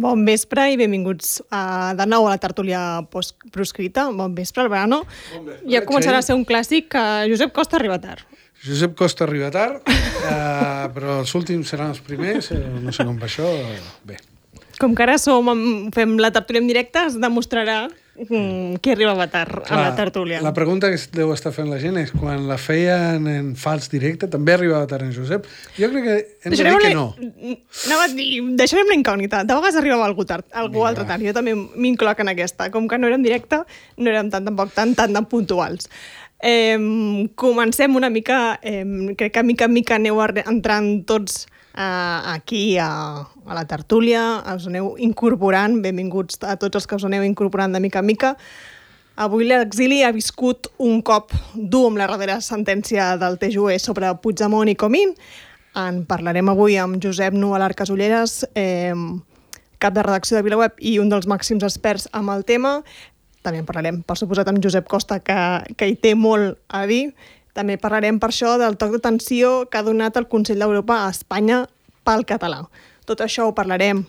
Bon vespre i benvinguts de nou a la tertúlia proscrita. Bon vespre, Albano. Ja començarà a ser un clàssic que Josep Costa arriba tard. Josep Costa arriba tard, però els últims seran els primers, no sé com va això. Bé. Com que ara fem la tertúlia en directe, es demostrarà qui arribava tard a la tertúlia. La pregunta que deu estar fent la gent és quan la feien en fals directe, també arribava tard en Josep? Jo crec que hem de dir que no. Anava a dir, deixarem la incògnita. De vegades arribava algú altre tard. Jo també m'incloc en aquesta. Com que no érem directe, no érem tampoc tan puntuals. Comencem una mica, crec que mica en mica aneu entrant tots aquí a la tertúlia, us aneu incorporant, benvinguts a tots els que us aneu incorporant de mica en mica. Avui l'exili ha viscut un cop dur amb la darrera sentència del TJUE sobre Puigdemont i Comín. En parlarem avui amb Josep Nualart Casulleras, cap de redacció de VilaWeb i un dels màxims experts amb el tema. També en parlarem, per suposat, amb Josep Costa, que hi té molt a dir. També parlarem per això del toc d'atenció que ha donat el Consell d'Europa a Espanya pel català. Tot això ho parlarem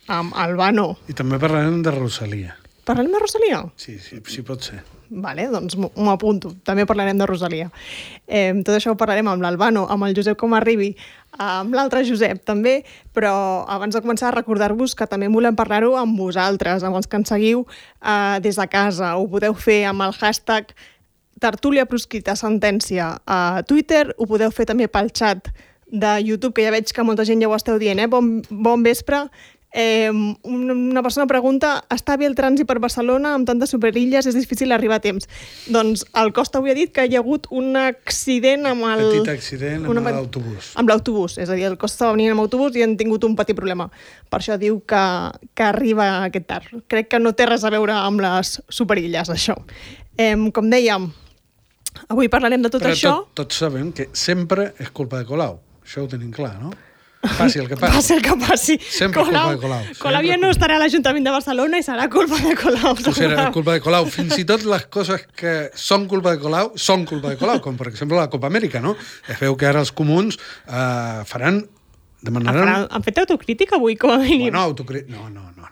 amb Albano. I també parlarem de Rosalia. Parlarem de Rosalia? Sí, pot ser. Vale, doncs m'ho apunto. També parlarem de Rosalia. Tot això ho parlarem amb l'Albano, amb el Josep com arribi, amb l'altre Josep també, però abans de començar recordar-vos que també volem parlar-ho amb vosaltres, amb els que ens seguiu des de casa. Ho podeu fer amb el hashtag tertúlia proscrita sentència a Twitter, ho podeu fer també pel xat de YouTube, que ja veig que molta gent ja ho esteu dient, bon vespre. Una persona pregunta, està bé el trànsit per Barcelona amb tantes superilles, és difícil arribar a temps? Doncs el Costa avui ha dit que hi ha hagut un accident amb el... Petit accident amb l'autobús. Amb l'autobús, és a dir, el Costa estava venint amb autobús i han tingut un petit problema. Per això diu que arriba aquest tard. Crec que no té res a veure amb les superilles, això. Com dèiem, avui parlarem de tot això. Però tots sabem que sempre és culpa de Colau. Això ho tenim clar, no? Passi el que passi. Passi el que passi. Sempre culpa de Colau. Colau ja no estarà a l'Ajuntament de Barcelona i serà culpa de Colau. Serà culpa de Colau. Fins i tot les coses que són culpa de Colau, són culpa de Colau, com per exemple la Copa Amèrica, no? Es veu que ara els comuns demanaran... Han fet autocrítica avui, com a mínim? Bueno, No.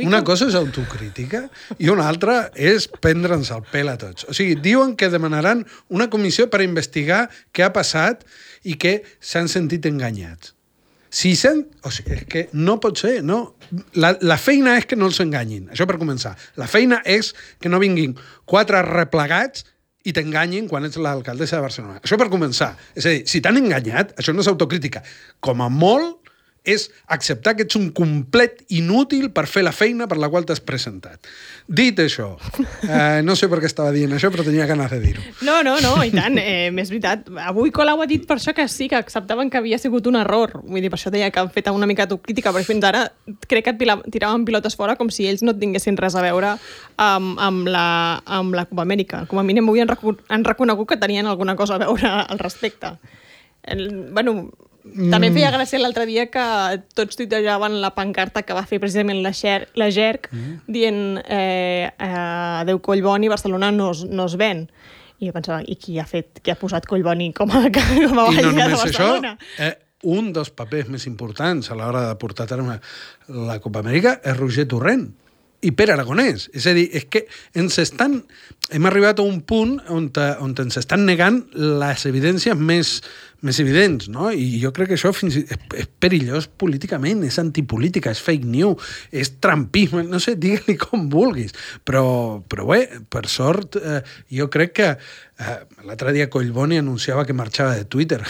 Una cosa és autocrítica i una altra és prendre'ns el pèl a tots. O sigui, diuen que demanaran una comissió per investigar què ha passat i que s'han sentit enganyats. És que no pot ser, no? La feina és que no els enganyin, això per començar. La feina és que no vinguin 4 replegats i t'enganyin quan ets l'alcaldessa de Barcelona. Això per començar. És a dir, si t'han enganyat, això no és autocrítica. Com a molt, és acceptar que ets un complet inútil per fer la feina per la qual t'has presentat. Dit això, no sé per què estava dient això, però tenia ganes de dir-ho. No, i tant, és veritat. Avui Colau ha dit per això que sí, que acceptaven que havia sigut un error. Vull dir, per això deia que han fet una mica autocrítica, però fins ara crec que tiraven pilotes fora com si ells no tinguessin res a veure amb la Copa Amèrica. Com a mínim avui han reconegut que tenien alguna cosa a veure al respecte. També feia gràcia l'altre dia que tots tuitejaven la pancarta que va fer precisament la GERC dient adeu Collboni, Barcelona no es ven. I jo pensava, i qui ha posat Collboni com a veïna de Barcelona? Això, un dels papers més importants a l'hora de portar a terme la Copa Amèrica és Roger Torrent i Pere Aragonès. És a dir, és que hem arribat a un punt on ens estan negant les evidències més evidents, no? I jo crec que això és perillós políticament, és antipolítica, és fake news, és trumpisme, no sé, digue-li com vulguis. Però bé, per sort, jo crec que l'altre dia Collboni anunciava que marxava de Twitter.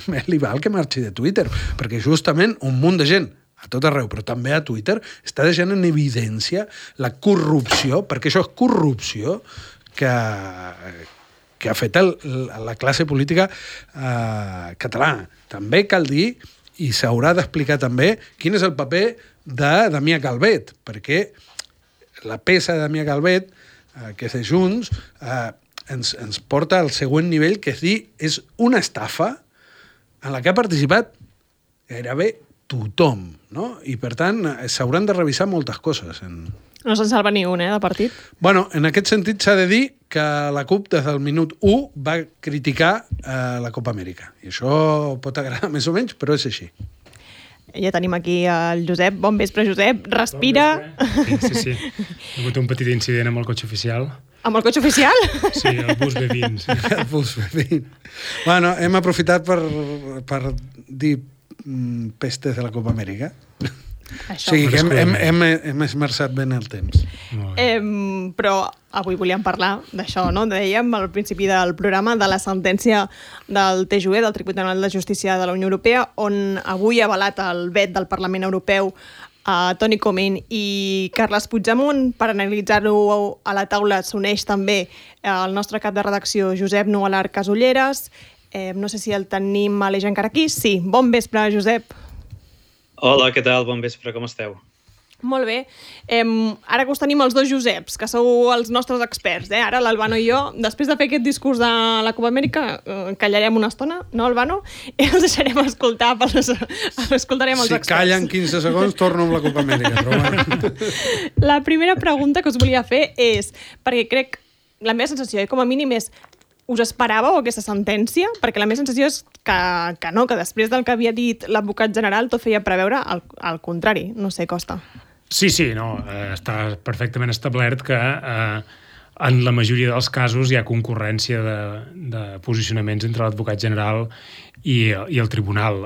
Més li val que marxi de Twitter, perquè justament un munt de gent a tot arreu, però també a Twitter, està deixant en evidència la corrupció, perquè això és corrupció que ha fet la classe política catalana. També cal dir, i s'haurà d'explicar també, quin és el paper de Damià Calvet, perquè la peça de Damià Calvet, que és de Junts, ens porta al següent nivell, que és una estafa en la que ha participat gairebé tothom, no? I, per tant, s'hauran de revisar moltes coses. No se'n salva ni un, de partit? Bueno, en aquest sentit s'ha de dir que la CUP, des del minut 1, va criticar la Copa Amèrica. I això pot agradar més o menys, però és així. Ja tenim aquí el Josep. Bon vespre, Josep. Respira. Sí. He hagut un petit incident amb el cotxe oficial. Amb el cotxe oficial? Sí, el bus B20. El bus B20. Bueno, hem aprofitat per dir pestes de la Copa Amèrica. Això. O sigui que hem esmerçat ben el temps. Però avui volíem parlar d'això, no? Dèiem al principi del programa de la sentència del TJUE, del Tribunal de Justícia de la Unió Europea, on avui ha avalat el vet del Parlament Europeu a Toni Comín i Carles Puigdemont. Per analitzar-ho a la taula s'uneix també el nostre cap de redacció, Josep Nugalar Casulleras. No sé si el tenim a l'eix encara aquí. Sí, bon vespre, Josep. Hola, què tal? Bon vespre, com esteu? Molt bé. Ara que us tenim els dos Joseps, que sou els nostres experts, Ara l'Albano i jo, després de fer aquest discurs de la Copa Amèrica, callarem una estona, no, Albano? I els deixarem escoltar, escoltarem els experts. Si callen 15 segons, torno amb la Copa Amèrica. Però bueno. La primera pregunta que us volia fer és, perquè crec, la meva sensació, com a mínim és, us esperàveu aquesta sentència? Perquè la meva sensació és que no, que després del que havia dit l'advocat general tot feia preveure el contrari. No sé, Costa. Sí, no. Està perfectament establert que en la majoria dels casos hi ha concurrència de posicionaments entre l'advocat general i el tribunal.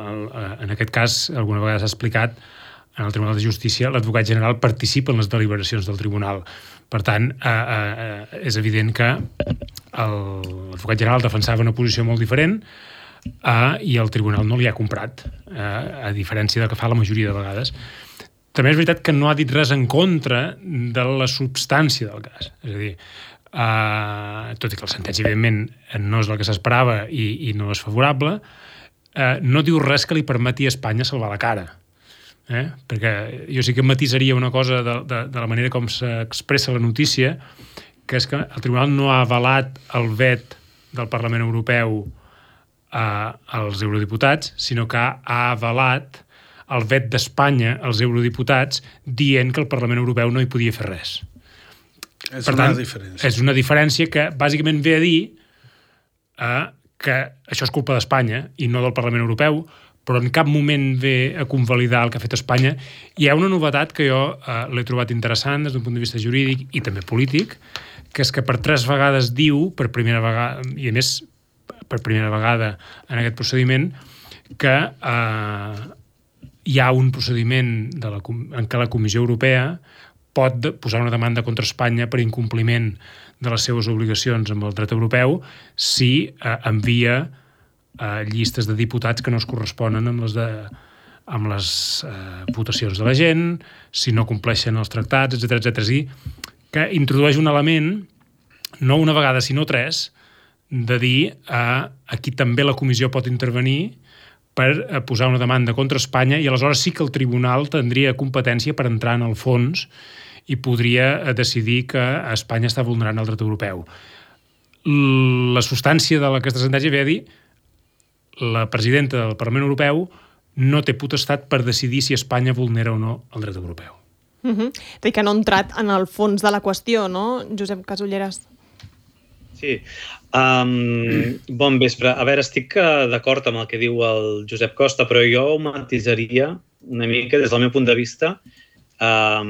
En aquest cas, alguna vegada s'ha explicat, en el Tribunal de Justícia l'advocat general participa en les deliberacions del tribunal. Per tant, és evident que l'advocat general defensava una posició molt diferent i el tribunal no li ha comprat, a diferència del que fa la majoria de vegades. També és veritat que no ha dit res en contra de la substància del cas. És a dir, tot i que la sentència, evidentment, no és la que s'esperava i no és favorable, no diu res que li permeti a Espanya salvar la cara. Perquè jo sí que matisaria una cosa de la manera com s'expressa la notícia, que és que el tribunal no ha avalat el vet del Parlament Europeu als eurodiputats, sinó que ha avalat el vet d'Espanya als eurodiputats dient que el Parlament Europeu no hi podia fer res. És una diferència. És una diferència que bàsicament ve a dir que això és culpa d'Espanya i no del Parlament Europeu, però en cap moment ve a convalidar el que ha fet Espanya. Hi ha una novetat que jo l'he trobat interessant des d'un punt de vista jurídic i també polític, que és que per 3 vegades diu, per primera vegada, i a més per primera vegada en aquest procediment, que hi ha un procediment en què la Comissió Europea pot posar una demanda contra Espanya per incompliment de les seves obligacions amb el dret europeu si envia llistes de diputats que no es corresponen amb les votacions de la gent, si no compleixen els tractats, etc. És a dir, que introdueix un element, no una vegada, sinó 3, de dir aquí també la comissió pot intervenir per posar una demanda contra Espanya i aleshores sí que el tribunal tindria competència per entrar en el fons i podria decidir que Espanya està vulnerant el dret europeu. La substància d'aquesta sentència ve a dir la presidenta del Parlament Europeu no té potestat per decidir si Espanya vulnera o no el dret europeu. Té que no ha entrat en el fons de la qüestió, no, Josep Casulleras? Sí. Bon vespre. A veure, estic d'acord amb el que diu el Josep Costa, però jo ho matisaria una mica des del meu punt de vista. A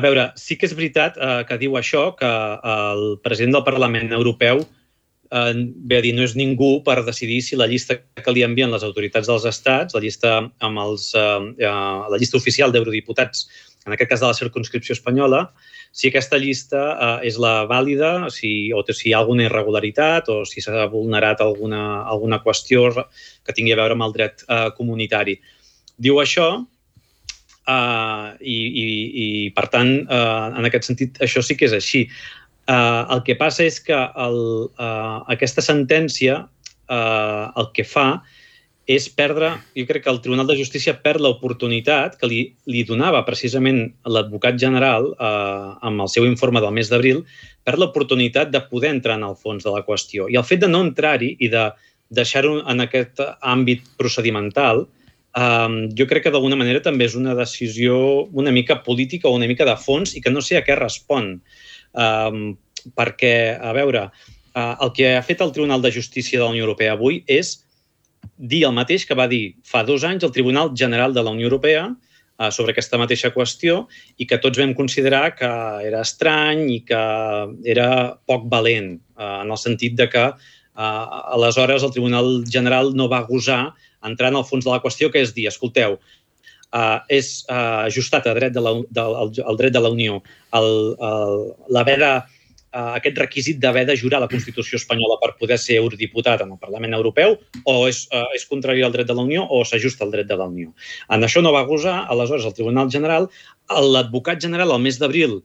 veure, sí que és veritat que diu això, que el president del Parlament Europeu ve a dir, no és ningú per decidir si la llista que li envien les autoritats dels estats, la llista oficial d'eurodiputats, en aquest cas de la circumscripció espanyola, si aquesta llista és la vàlida, o si hi ha alguna irregularitat o si s'ha vulnerat alguna qüestió que tingui a veure amb el dret comunitari. Diu això i per tant, en aquest sentit, això sí que és així. El que passa és que aquesta sentència el que fa és perdre, jo crec que el Tribunal de Justícia perd l'oportunitat que li donava precisament l'advocat general amb el seu informe del mes d'abril, perd l'oportunitat de poder entrar en el fons de la qüestió. I el fet de no entrar-hi i de deixar-ho en aquest àmbit procedimental, jo crec que d'alguna manera també és una decisió una mica política o una mica de fons i que no sé a què respon. Perquè, a veure, el que ha fet el Tribunal de Justícia de la Unió Europea avui és dir el mateix que va dir fa 2 anys el Tribunal General de la Unió Europea sobre aquesta mateixa qüestió i que tots vam considerar que era estrany i que era poc valent, en el sentit de que aleshores el Tribunal General no va gosar entrar en el fons de la qüestió, que és dir, escolteu, és ajustat al dret de la Unió aquest requisit d'haver de jurar la Constitució espanyola per poder ser eurodiputat en el Parlament Europeu, o és contrari al dret de la Unió o s'ajusta al dret de la Unió. En això no va gosar, aleshores el Tribunal General, l'advocat general al mes d'abril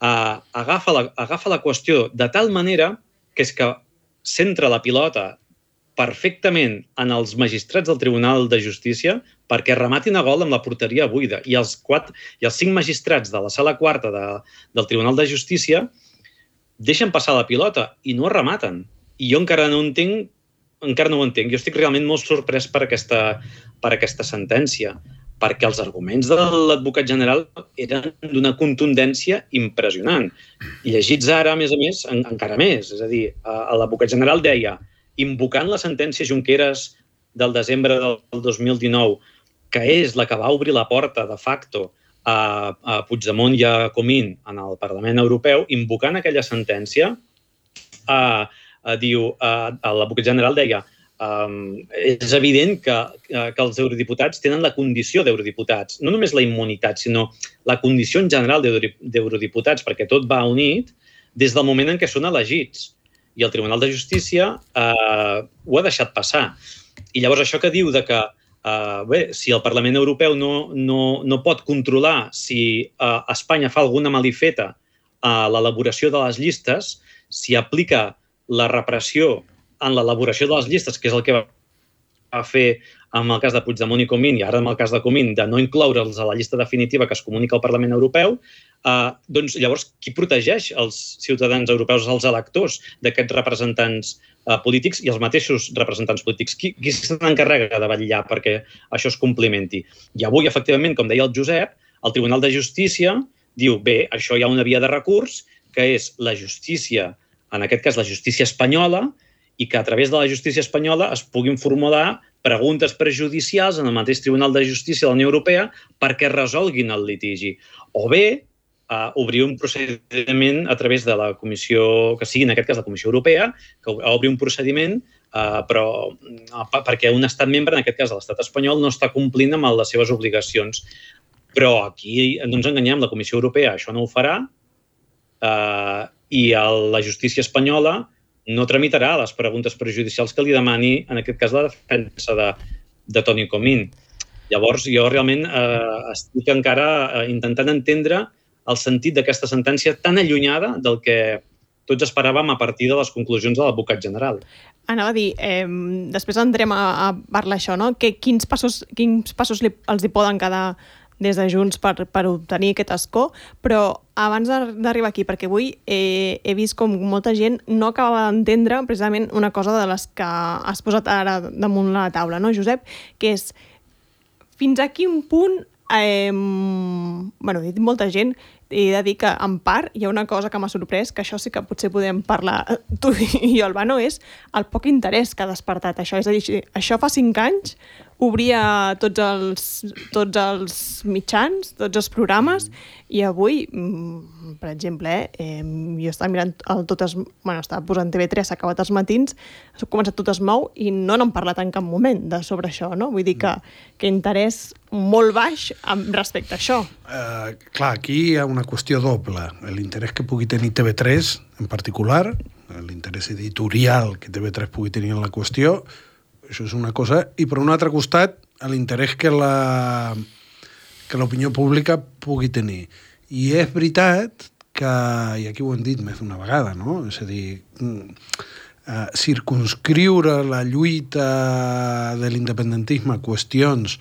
agafa la qüestió de tal manera que és que centra la pilota perfectament en els magistrats del Tribunal de Justícia perquè rematin a gol amb la porteria buida. I els 5 magistrats de la sala quarta del Tribunal de Justícia deixen passar la pilota i no rematen. I jo encara no ho entenc. Jo estic realment molt sorprès per aquesta sentència, perquè els arguments de l'advocat general eren d'una contundència impressionant. I llegits ara, a més, encara més. És a dir, l'advocat general deia, invocant la sentència Junqueras del desembre del 2019, que és la que va obrir la porta de facto a Puigdemont i a Comín en el Parlament Europeu, invocant aquella sentència, l'advocat general deia és evident que els eurodiputats tenen la condició d'eurodiputats, no només la immunitat, sinó la condició en general d'eurodiputats, perquè tot va unit des del moment en què són elegits. I el Tribunal de Justícia ho ha deixat passar. I llavors això que diu de que si el Parlament Europeu no pot controlar si Espanya fa alguna malifeta a l'elaboració de les llistes, si aplica la repressió en l'elaboració de les llistes, que és el que va fer en el cas de Puigdemont i Comín, i ara en el cas de Comín, de no incloure'ls a la llista definitiva que es comunica al Parlament Europeu, doncs llavors qui protegeix els ciutadans europeus, els electors d'aquests representants polítics i els mateixos representants polítics? Qui se n'encarrega de vetllar perquè això es complimenti? I avui, efectivament, com deia el Josep, el Tribunal de Justícia diu, bé, això hi ha una via de recurs, que és la justícia, en aquest cas la justícia espanyola, i que a través de la justícia espanyola es puguin formular preguntes prejudicials en el mateix Tribunal de Justícia de la Unió Europea perquè resolguin el litigi. O bé, obrir un procediment a través de la Comissió, que sigui en aquest cas la Comissió Europea, que obri un procediment però perquè un estat membre, en aquest cas l'estat espanyol, no està complint amb les seves obligacions. Però aquí no ens enganyem, la Comissió Europea això no ho farà i la justícia espanyola no tramitarà les preguntes prejudicials que li demani, en aquest cas, la defensa de Toni Comín. Llavors, jo realment estic encara intentant entendre el sentit d'aquesta sentència tan allunyada del que tots esperàvem a partir de les conclusions de l'advocat general. Anava a dir, després entrem a parlar això, no? Quins passos els hi poden quedar des de Junts per obtenir aquest escó, però abans d'arribar aquí, perquè avui he vist com molta gent no acabava d'entendre precisament una cosa de les que has posat ara damunt la taula, no, Josep? Que és, fins a quin punt, he dit molta gent, he de dir que en part hi ha una cosa que m'ha sorprès, que això sí que potser podem parlar tu i jo, Albano, és el poc interès que ha despertat això. És a dir, això fa 5 anys obria tots els mitjans, tots els programes, i avui, per exemple, jo estava mirant estava posant TV3, s'ha acabat els matins, ha començat Tot es mou i no n'han parlat en cap moment sobre això, no? Vull dir que interès molt baix respecte a això. Clar, aquí hi ha una qüestió doble. L'interès que pugui tenir TV3, en particular, l'interès editorial que TV3 pugui tenir en la qüestió, això és una cosa, i per un altre costat l'interès que l'opinió pública pugui tenir. I és veritat que, i aquí ho hem dit més d'una vegada, no? És a dir, circunscriure la lluita de l'independentisme a qüestions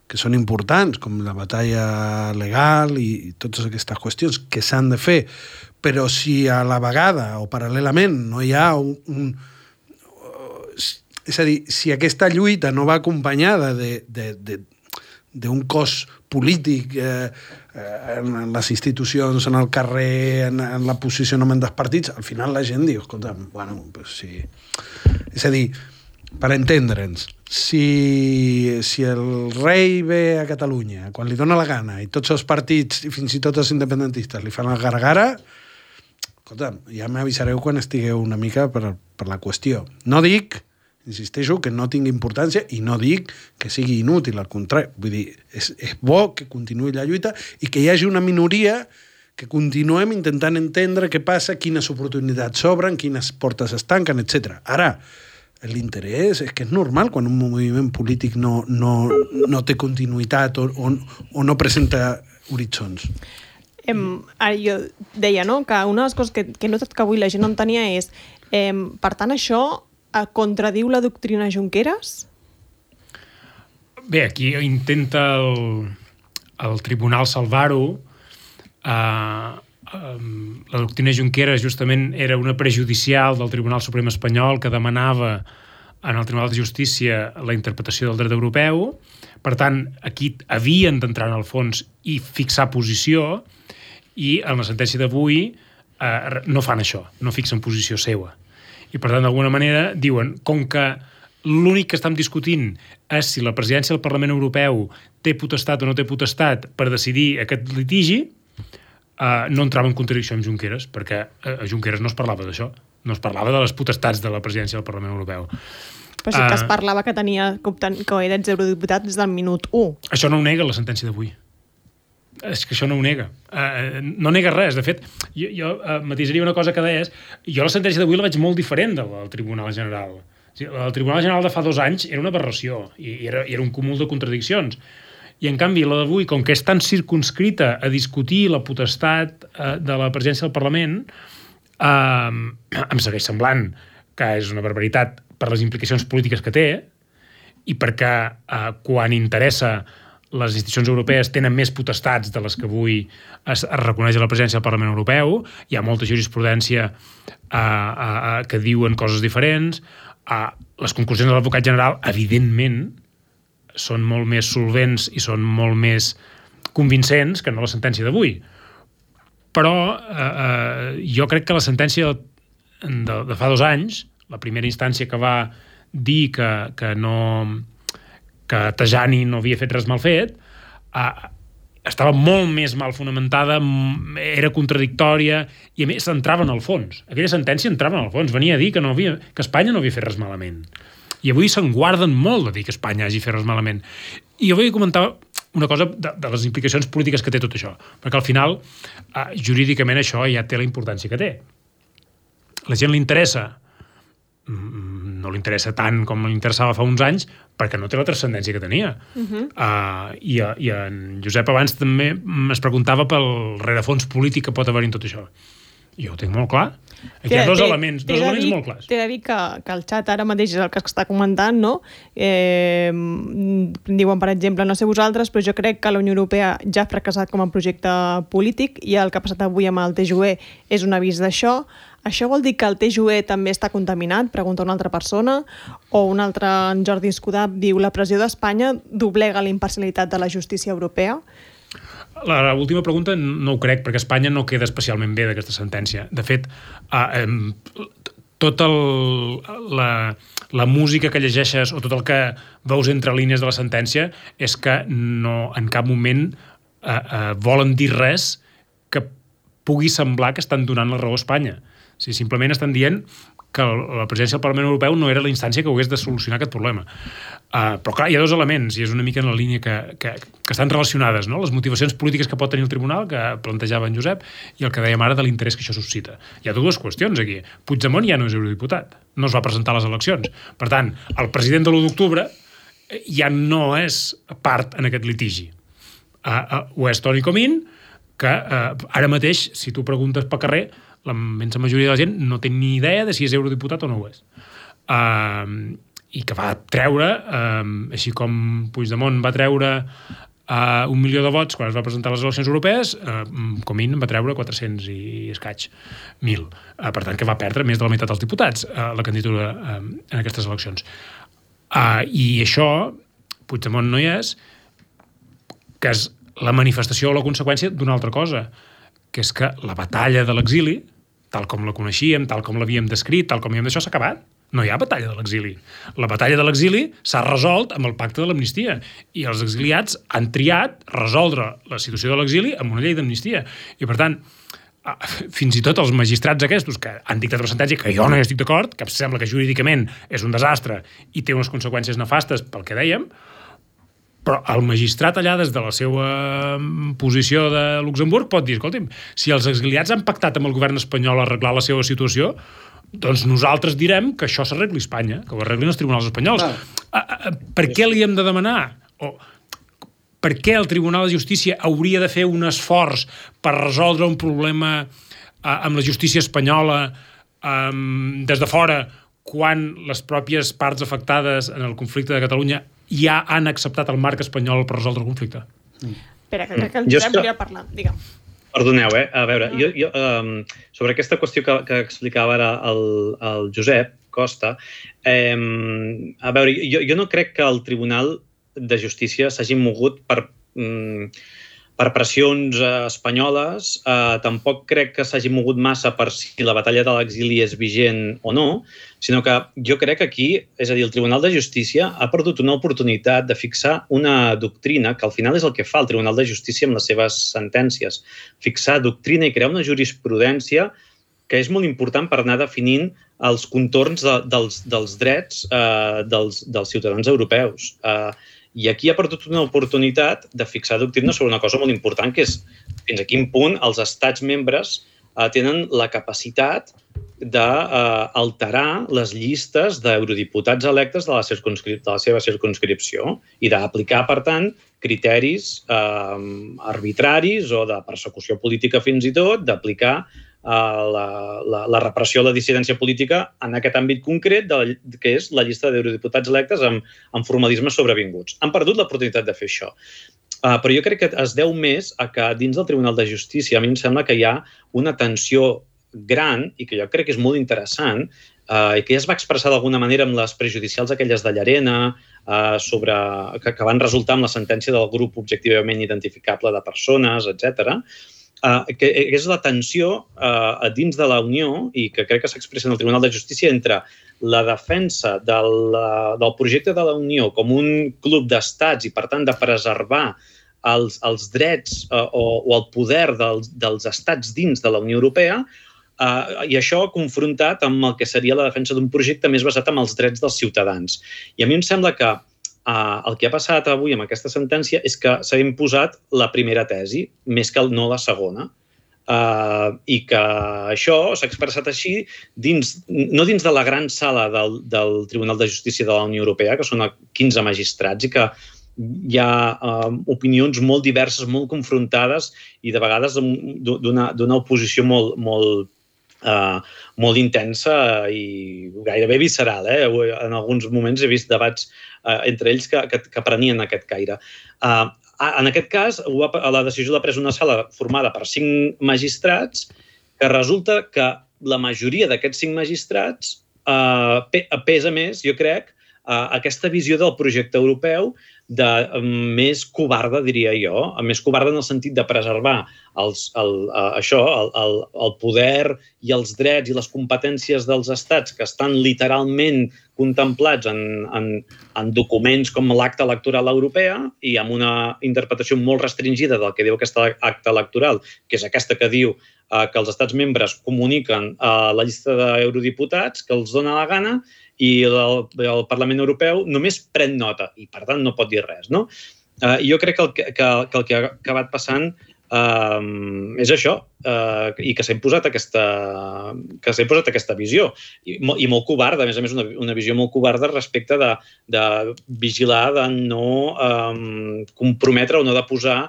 que són importants, com la batalla legal i totes aquestes qüestions que s'han de fer, però si a la vegada o paral·lelament no hi ha és a dir, si aquesta lluita no va acompanyada d'un cos polític en les institucions, en el carrer, en el posicionament dels partits, al final la gent diu, escolta, bueno, pues sí. És a dir, per entendre'ns, si el rei ve a Catalunya quan li dona la gana i tots els partits i fins i tot els independentistes li fan el gara-gara, escolta, ja m'avisareu quan estigueu una mica per la qüestió. No dic, insisteixo, que no tingui importància i no dic que sigui inútil, al contrari. Vull dir, és bo que continuï la lluita i que hi hagi una minoria que continuem intentant entendre què passa, quines oportunitats s'obren, quines portes es tanquen, etc. Ara, l'interès és que és normal quan un moviment polític no té continuïtat o no presenta horitzons. Jo deia, no?, que una de les coses que he notat que avui la gent no entenia és per tant, això contradiu la doctrina Junqueras? Bé, aquí intenta el tribunal salvar-ho. La doctrina Junqueras justament era una prejudicial del Tribunal Suprem espanyol que demanava en el Tribunal de Justícia la interpretació del dret europeu. Per tant, aquí havien d'entrar en el fons i fixar posició, i en la sentència d'avui no fan això, no fixen posició seva. I per tant, d'alguna manera, diuen, com que l'únic que estem discutint és si la presidència del Parlament Europeu té potestat o no té potestat per decidir aquest litigi, no entrava en contradicció amb Junqueras, perquè a Junqueras no es parlava d'això, no es parlava de les potestats de la presidència del Parlament Europeu. Però sí que es parlava que era eurodiputat des del minut 1. Això no ho nega la sentència d'avui. És que això no ho nega. No nega res. De fet, jo matisaria una cosa que deies. Jo la sentència d'avui la veig molt diferent del Tribunal General. El Tribunal General de fa 2 anys era una aberració i era un cúmul de contradiccions. I, en canvi, la d'avui, com que és tan circunscrita a discutir la potestat de la presidència del Parlament, em segueix semblant que és una barbaritat per les implicacions polítiques que té i perquè quan interessa les institucions europees tenen més potestats de les que avui es reconeix a la presidència del Parlament Europeu. Hi ha molta jurisprudència que diuen coses diferents. Les conclusions de l'advocat general, evidentment, són molt més solvents i són molt més convincents que no la sentència d'avui. Però jo crec que la sentència de fa 2 anys, la primera instància que va dir que Tajani no havia fet res mal fet, estava molt més mal fonamentada, era contradictòria i, a més, entrava en el fons. Aquella sentència entrava en el fons, venia a dir que Espanya no havia fet res malament. I avui se'n guarden molt de dir que Espanya hagi fet res malament. I jo vull comentar una cosa de les implicacions polítiques que té tot això, perquè al final, jurídicament, això ja té la importància que té. La gent li interessa, no li interessa tant com li interessava fa uns anys, perquè no té la transcendència que tenia. I en Josep abans també es preguntava pel rerefons polític que pot haver-hi en tot això. Jo ho tinc molt clar. Aquí hi ha dos elements molt clars. T'he de dir que el xat ara mateix és el que està comentant, no? Diuen, per exemple, no sé vosaltres, però jo crec que la Unió Europea ja ha fracassat com a projecte polític i el que ha passat avui amb el TJUE és un avís d'això. Això vol dir que el TJUE també està contaminat? Pregunta una altra persona. O un altre, en Jordi Escudà, diu la pressió d'Espanya doblega la imparcialitat de la justícia europea? La última pregunta no ho crec, perquè Espanya no queda especialment bé d'aquesta sentència. De fet, tota la música que llegeixes o tot el que veus entre línies de la sentència és que no, en cap moment volen dir res que pugui semblar que estan donant la raó a Espanya. O sigui, simplement estan dient que la presidència del Parlament Europeu no era la instància que hagués de solucionar aquest problema. Però clar, hi ha 2 elements, i és una mica en la línia que estan relacionades, no? Les motivacions polítiques que pot tenir el tribunal, que plantejava en Josep, i el que dèiem ara de l'interès que això suscita. Hi ha 2 qüestions aquí. Puigdemont ja no és eurodiputat, no es va presentar a les eleccions. Per tant, el president de l'1 d'octubre ja no és part en aquest litigi. Ho és Toni Comín, que ara mateix, si tu preguntes pel carrer, la immensa majoria de la gent no té ni idea de si és eurodiputat o no ho és. I que va treure, així com Puigdemont va treure 1 milió de vots quan es va presentar a les eleccions europees, Comín va treure 400 i escaig mil. Per tant, que va perdre més de la meitat dels diputats la candidatura en aquestes eleccions. I això, Puigdemont no hi és, que és la manifestació o la conseqüència d'una altra cosa, que és que la batalla de l'exili, tal com la coneixíem, tal com l'havíem descrit, tal com havíem d'això, s'ha acabat. no hi ha batalla de l'exili. La batalla de l'exili s'ha resolt amb el pacte de l'amnistia i els exiliats han triat resoldre la situació de l'exili amb una llei d'amnistia. I, per tant, fins i tot els magistrats aquests que han dictat una sentència que jo no hi estic d'acord, que sembla que jurídicament és un desastre i té unes conseqüències nefastes pel que dèiem, però el magistrat allà des de la seva posició de Luxemburg pot dir, escolti'm, si els exiliats han pactat amb el govern espanyol a arreglar la seva situació, doncs nosaltres direm que això s'arregli a Espanya, que ho arreglin els tribunals espanyols. Per què li hem de demanar? Per què el Tribunal de Justícia hauria de fer un esforç per resoldre un problema amb la justícia espanyola des de fora, quan les pròpies parts afectades en el conflicte de Catalunya ja han acceptat el marc espanyol per resoldre el conflicte? Espera, que crec que el Josep volia parlar. Digue'm. Perdoneu, a veure, jo sobre aquesta qüestió que explicava ara el Josep Costa, a veure, jo no crec que el Tribunal de Justícia s'hagi mogut per pressions espanyoles, tampoc crec que s'hagi mogut massa per si la batalla de l'exili és vigent o no, sinó que jo crec que aquí, és a dir, el Tribunal de Justícia ha perdut una oportunitat de fixar una doctrina, que al final és el que fa el Tribunal de Justícia amb les seves sentències, fixar doctrina i crear una jurisprudència que és molt important per anar definint els contorns dels drets dels ciutadans europeus. I aquí ha perdut una oportunitat de fixar doctrina sobre una cosa molt important, que és fins a quin punt els estats membres tenen la capacitat d'alterar les llistes d'eurodiputats electes de la seva circumscripció i d'aplicar, per tant, criteris arbitraris o de persecució política fins i tot, d'aplicar la repressió a la dissidència política en aquest àmbit concret, que és la llista d'eurodiputats electes amb formalismes sobrevinguts. Han perdut l'oportunitat de fer això. Però jo crec que es deu més a que dins del Tribunal de Justícia a mi em sembla que hi ha una tensió gran i que jo crec que és molt interessant i que ja es va expressar d'alguna manera amb les prejudicials aquelles de Llarena que van resultar amb la sentència del grup objectivament identificable de persones, etc., que és la tensió dins de la Unió i que crec que s'expressa en el Tribunal de Justícia entre la defensa del projecte de la Unió com un club d'estats i, per tant, de preservar els drets o el poder dels estats dins de la Unió Europea i això confrontat amb el que seria la defensa d'un projecte més basat en els drets dels ciutadans. I a mi em sembla que el que ha passat avui amb aquesta sentència és que s'ha imposat la primera tesi, més que no la segona, i que això s'ha expressat així no dins de la gran sala del Tribunal de Justícia de la Unió Europea, que són 15 magistrats i que hi ha opinions molt diverses, molt confrontades i de vegades d'una oposició molt intensa i gairebé visceral. En alguns moments he vist debats entre ells que prenien aquest caire. En aquest cas, la decisió l'ha pres una sala formada per 5 magistrats que resulta que la majoria d'aquests 5 magistrats pesa més, jo crec, aquesta visió del projecte europeu més covarda, diria jo, més covarda en el sentit de preservar el poder i els drets i les competències dels estats que estan literalment contemplats en documents com l'acta electoral europea i amb una interpretació molt restringida del que diu aquesta acta electoral, que és aquesta que diu que els estats membres comuniquen la llista d'eurodiputats que els dona la gana i el Parlament Europeu només pren nota i, per tant, no pot dir res. Jo crec que el que ha acabat passant és això, i que s'ha imposat aquesta visió, i molt covarda, a més una visió molt covarda respecte de vigilar, de no comprometre o no de posar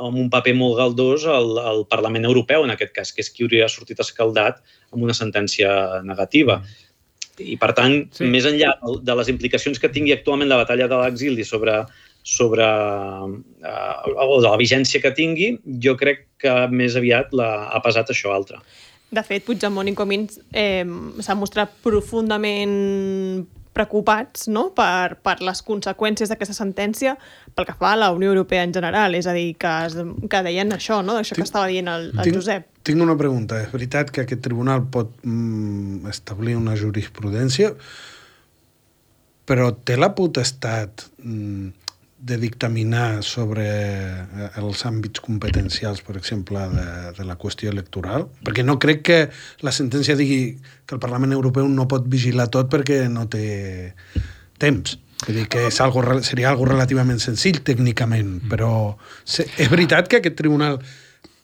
amb un paper molt galdós al Parlament Europeu, en aquest cas, que és qui hauria sortit escaldat amb una sentència negativa. I, per tant, més enllà de les implicacions que tingui actualment la batalla de l'exili o de la vigència que tingui, jo crec que més aviat ha pesat això altre. De fet, Puigdemont i Comín s'han mostrat profundament preocupats, no?, per les conseqüències d'aquesta sentència pel que fa a la Unió Europea en general. És a dir, que deien això, no?, això que estava dient el Josep. Tinc una pregunta. És veritat que aquest tribunal pot establir una jurisprudència, però té la potestat de dictaminar sobre els àmbits competencials, per exemple, de la qüestió electoral? Perquè no crec que la sentència digui que el Parlament Europeu no pot vigilar tot perquè no té temps. Vull dir que seria algo relativament senzill tècnicament, però és veritat que aquest tribunal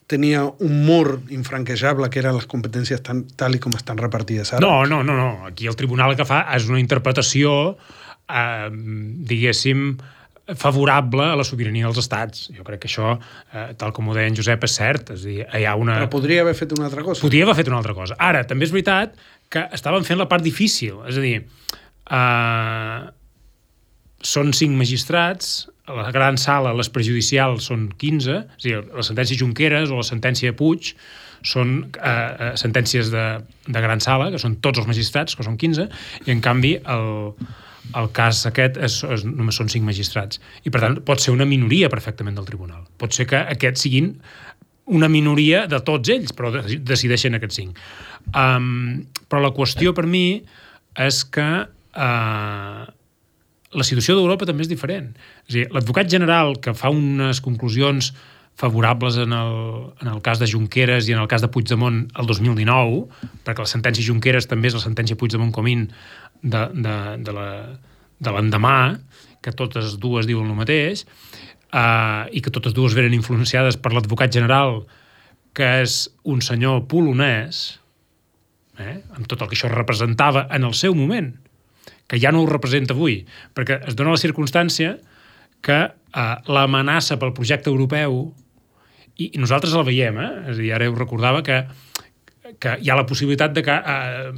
tenia un mur infranquejable que eren les competències tal i com estan repartides ara? No. Aquí el tribunal el que fa és una interpretació, diguéssim, favorable a la sobirania dels estats. Jo crec que això, tal com ho deia en Josep, és cert. És a dir, hi ha una... Però podria haver fet una altra cosa. Podria haver fet una altra cosa. Ara, també és veritat que estaven fent la part difícil. És a dir, són 5 magistrats, a la gran sala les prejudicials són 15, és a dir, la sentència Junqueras o la sentència Puig són sentències de gran sala, que són tots els magistrats, que són 15, i en canvi el cas aquest només són 5 magistrats. I, per tant, pot ser una minoria perfectament del tribunal. Pot ser que aquests siguin una minoria de tots ells, però decideixen aquests 5. Però la qüestió per mi és que la situació d'Europa també és diferent. És a dir, l'advocat general que fa unes conclusions favorables en el cas de Junqueras i en el cas de Puigdemont el 2019, perquè la sentència Junqueras també és la sentència Puigdemont-Comín de l'endemà, que totes dues diuen el mateix, i que totes dues venen influenciades per l'advocat general, que és un senyor polonès, amb tot el que això representava en el seu moment, que ja no ho representa avui, perquè es dona la circumstància que l'amenaça pel projecte europeu, i nosaltres la veiem, és a dir, ara ho recordava que hi ha la possibilitat de que,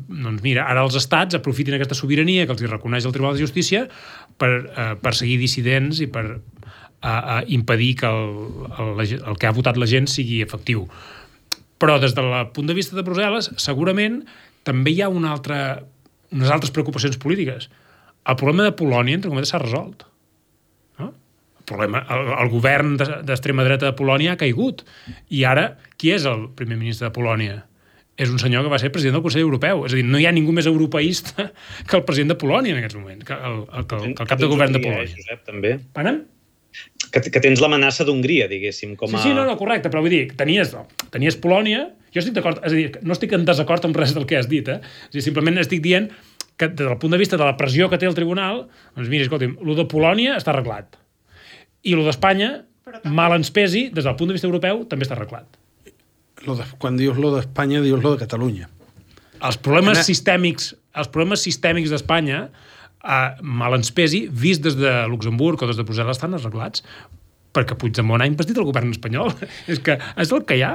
doncs mira, ara els estats aprofitin aquesta sobirania que els reconeix el Tribunal de Justícia per perseguir dissidents i per impedir que el que ha votat la gent sigui efectiu. Però des del punt de vista de Brussel·les, segurament també hi ha unes altres preocupacions polítiques. El problema de Polònia, entre cometes, s'ha resolt. El govern d'extrema dreta de Polònia ha caigut. I ara, qui és el primer ministre de Polònia? És un senyor que va ser president del Consell Europeu. És a dir, no hi ha ningú més europeista que el president de Polònia en aquests moments, que el cap de govern de Polònia. Josep, també. Panem? Que tens l'amenaça d'Hongria, diguéssim, com a... Sí, no, correcte, però vull dir, tenies Polònia, jo estic d'acord, és a dir, no estic en desacord amb res del que has dit, És a dir, simplement estic dient que des del punt de vista de la pressió que té el tribunal, doncs mira, escolti'm, lo de Polònia està arreglat. I lo d'Espanya, mal ens pesi, des del punt de vista europeu, també està arreglat. Quan dius lo d'Espanya, dius lo de Catalunya. Els problemes sistèmics d'Espanya, mal ens pesi, vist des de Luxemburg o des de Brussel·les, estan arreglats, perquè Puigdemont ha investit el govern espanyol. És que és el que hi ha.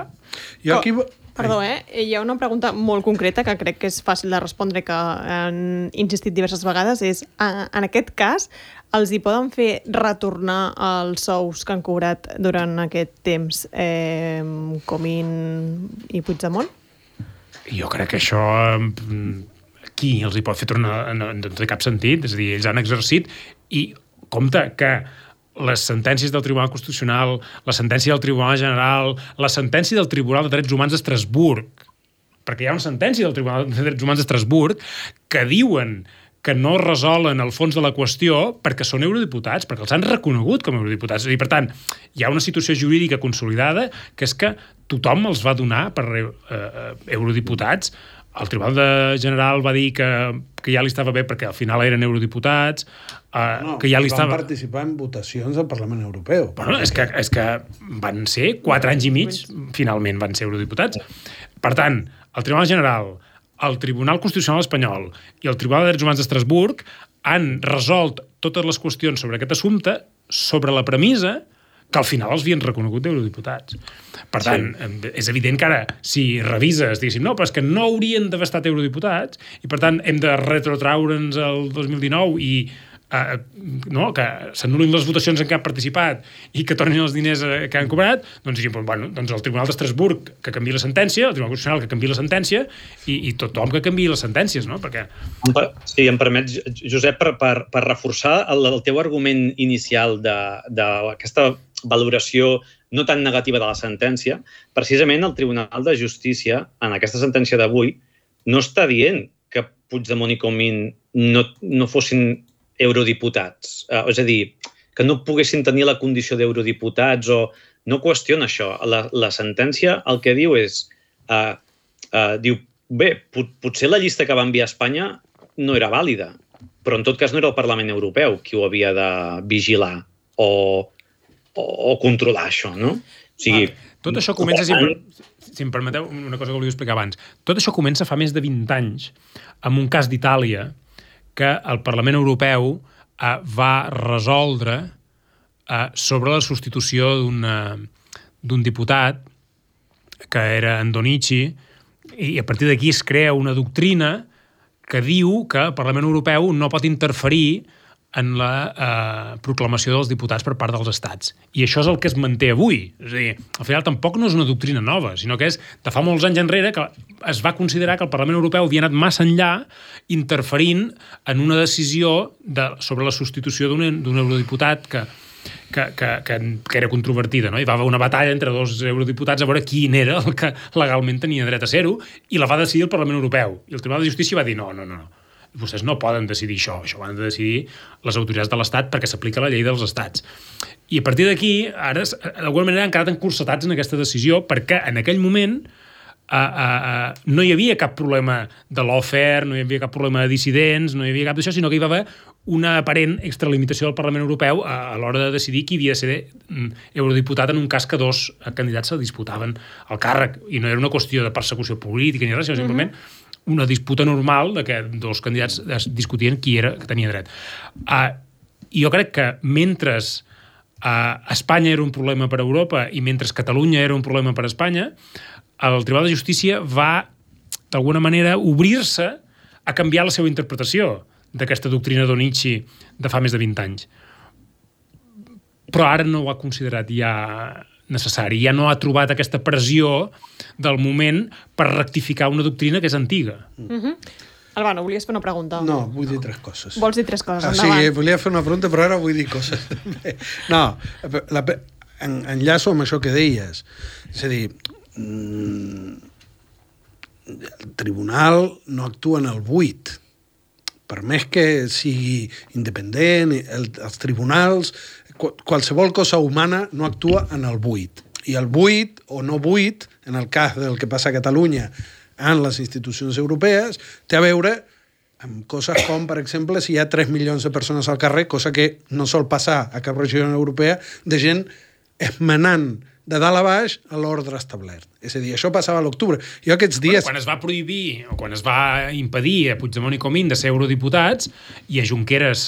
Perdó, hi ha una pregunta molt concreta que crec que és fàcil de respondre, que han insistit diverses vegades, és, en aquest cas, els hi poden fer retornar els sous que han cobrat durant aquest temps Comín i Puigdemont? Jo crec que això qui els hi pot fer tornar no té cap sentit. És a dir, ells han exercit i compte que les sentències del Tribunal Constitucional, la sentència del Tribunal General, la sentència del Tribunal de Drets Humans d'Estrasburg, perquè hi ha una sentència del Tribunal de Drets Humans d'Estrasburg que diuen que no resolen el fons de la qüestió perquè són eurodiputats, perquè els han reconegut com a eurodiputats. I, per tant, hi ha una situació jurídica consolidada que és que tothom els va donar per eurodiputats. El Tribunal General va dir que ja li estava bé perquè al final eren eurodiputats, que ja li estava... Van participar en votacions al Parlament Europeu. Bueno, és que van ser 4 anys i mig, finalment van ser eurodiputats. Per tant, el Tribunal General, el Tribunal Constitucional espanyol i el Tribunal de Drets Humans d'Estrasburg han resolt totes les qüestions sobre aquest assumpte sobre la premissa que al final els havien reconegut d'eurodiputats. Per tant, és evident que ara, si revises, diguéssim, no, però és que no haurien d'haver estat eurodiputats i, per tant, hem de retrotraure'ns el 2019 i no, que s'anul·lin les votacions en què han participat i que tornin els diners que han cobrat, doncs el Tribunal d'Estrasburg que canviï la sentència, el Tribunal Constitucional que canviï la sentència i tothom que canviï les sentències, no? Perquè... Sí, em permets, Josep, per reforçar el teu argument inicial d'aquesta valoració no tan negativa de la sentència, precisament el Tribunal de Justícia, en aquesta sentència d'avui, no està dient que Puigdemont i Comín no fossin eurodiputats. És a dir, que no poguessin tenir la condició d'eurodiputats o no qüestiona això. La sentència el que diu és... diu, bé, potser la llista que va enviar Espanya no era vàlida, però en tot cas no era el Parlament Europeu qui ho havia de vigilar o controlar això, no? O sigui... Tot això comença, si em permeteu, una cosa que volia explicar abans. Tot això comença fa més de 20 anys amb un cas d'Itàlia que el Parlament Europeu va resoldre sobre la substitució d'un diputat que era Andonici, i a partir d'aquí es crea una doctrina que diu que el Parlament Europeu no pot interferir en la proclamació dels diputats per part dels estats. I això és el que es manté avui. És a dir, al final tampoc no és una doctrina nova, sinó que és de fa molts anys enrere que es va considerar que el Parlament Europeu havia anat massa enllà interferint en una decisió sobre la substitució d'un eurodiputat que era controvertida, no? Hi va haver una batalla entre dos eurodiputats a veure quin era el que legalment tenia dret a ser-ho, i la va decidir el Parlament Europeu. I el Tribunal de Justícia va dir no. Vostès no poden decidir això ho han de decidir les autoritats de l'Estat perquè s'aplica la llei dels estats. I a partir d'aquí, ara, d'alguna manera, han quedat encursetats en aquesta decisió perquè en aquell moment no hi havia cap problema de lawfare, no hi havia cap problema de dissidents, no hi havia cap d'això, sinó que hi va haver una aparent extralimitació del Parlament Europeu a l'hora de decidir qui havia de ser eurodiputat en un cas que dos candidats se disputaven el càrrec. I no era una qüestió de persecució política ni res, sinó simplement una disputa normal de que dos candidats es discutien qui era que tenia dret. Jo crec que mentre Espanya era un problema per a Europa i mentre Catalunya era un problema per a Espanya, el Tribunal de Justícia va, d'alguna manera, obrir-se a canviar la seva interpretació d'aquesta doctrina d'Onici de fa més de 20 anys. Però ara no ho ha considerat ja necessari, ja no ha trobat aquesta pressió del moment per rectificar una doctrina que és antiga. Albano, volies fer una pregunta? No, vull dir 3 coses. Vols dir 3 coses? Endavant. Sí, volia fer una pregunta, però ara vull dir coses. No, enllaço amb això que deies. És a dir, el tribunal no actua en el buit. Per més que sigui independent, els tribunals, qualsevol cosa humana no actua en el buit. I el buit o no buit, en el cas del que passa a Catalunya en les institucions europees, té a veure amb coses com, per exemple, si hi ha 3 milions de persones al carrer, cosa que no sol passar a cap regió europea, de gent esmenant de dalt a baix a l'ordre establert. És a dir, això passava a l'octubre. Jo aquests dies... Quan es va prohibir o quan es va impedir a Puigdemont i Comín de ser eurodiputats i a Junqueras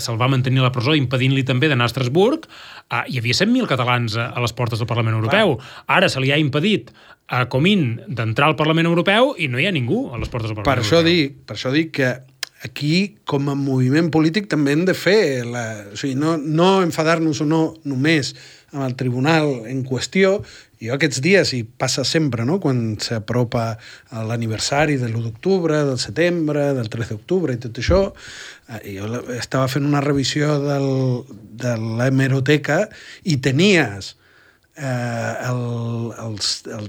se'l va mantenir a la presó impedint-li també d'anar a Estrasburg, hi havia 100.000 catalans a les portes del Parlament Europeu. Ara se li ha impedit a Comín d'entrar al Parlament Europeu i no hi ha ningú a les portes del Parlament Europeu. Per això dic que aquí, com a moviment polític, també hem de fer... O sigui, no enfadar-nos o no només amb el tribunal en qüestió. Jo aquests dies, i passa sempre, no?, quan s'apropa l'aniversari de l'1 d'octubre, del setembre, del 3 d'octubre i tot això, jo estava fent una revisió de l'hemeroteca i tenies el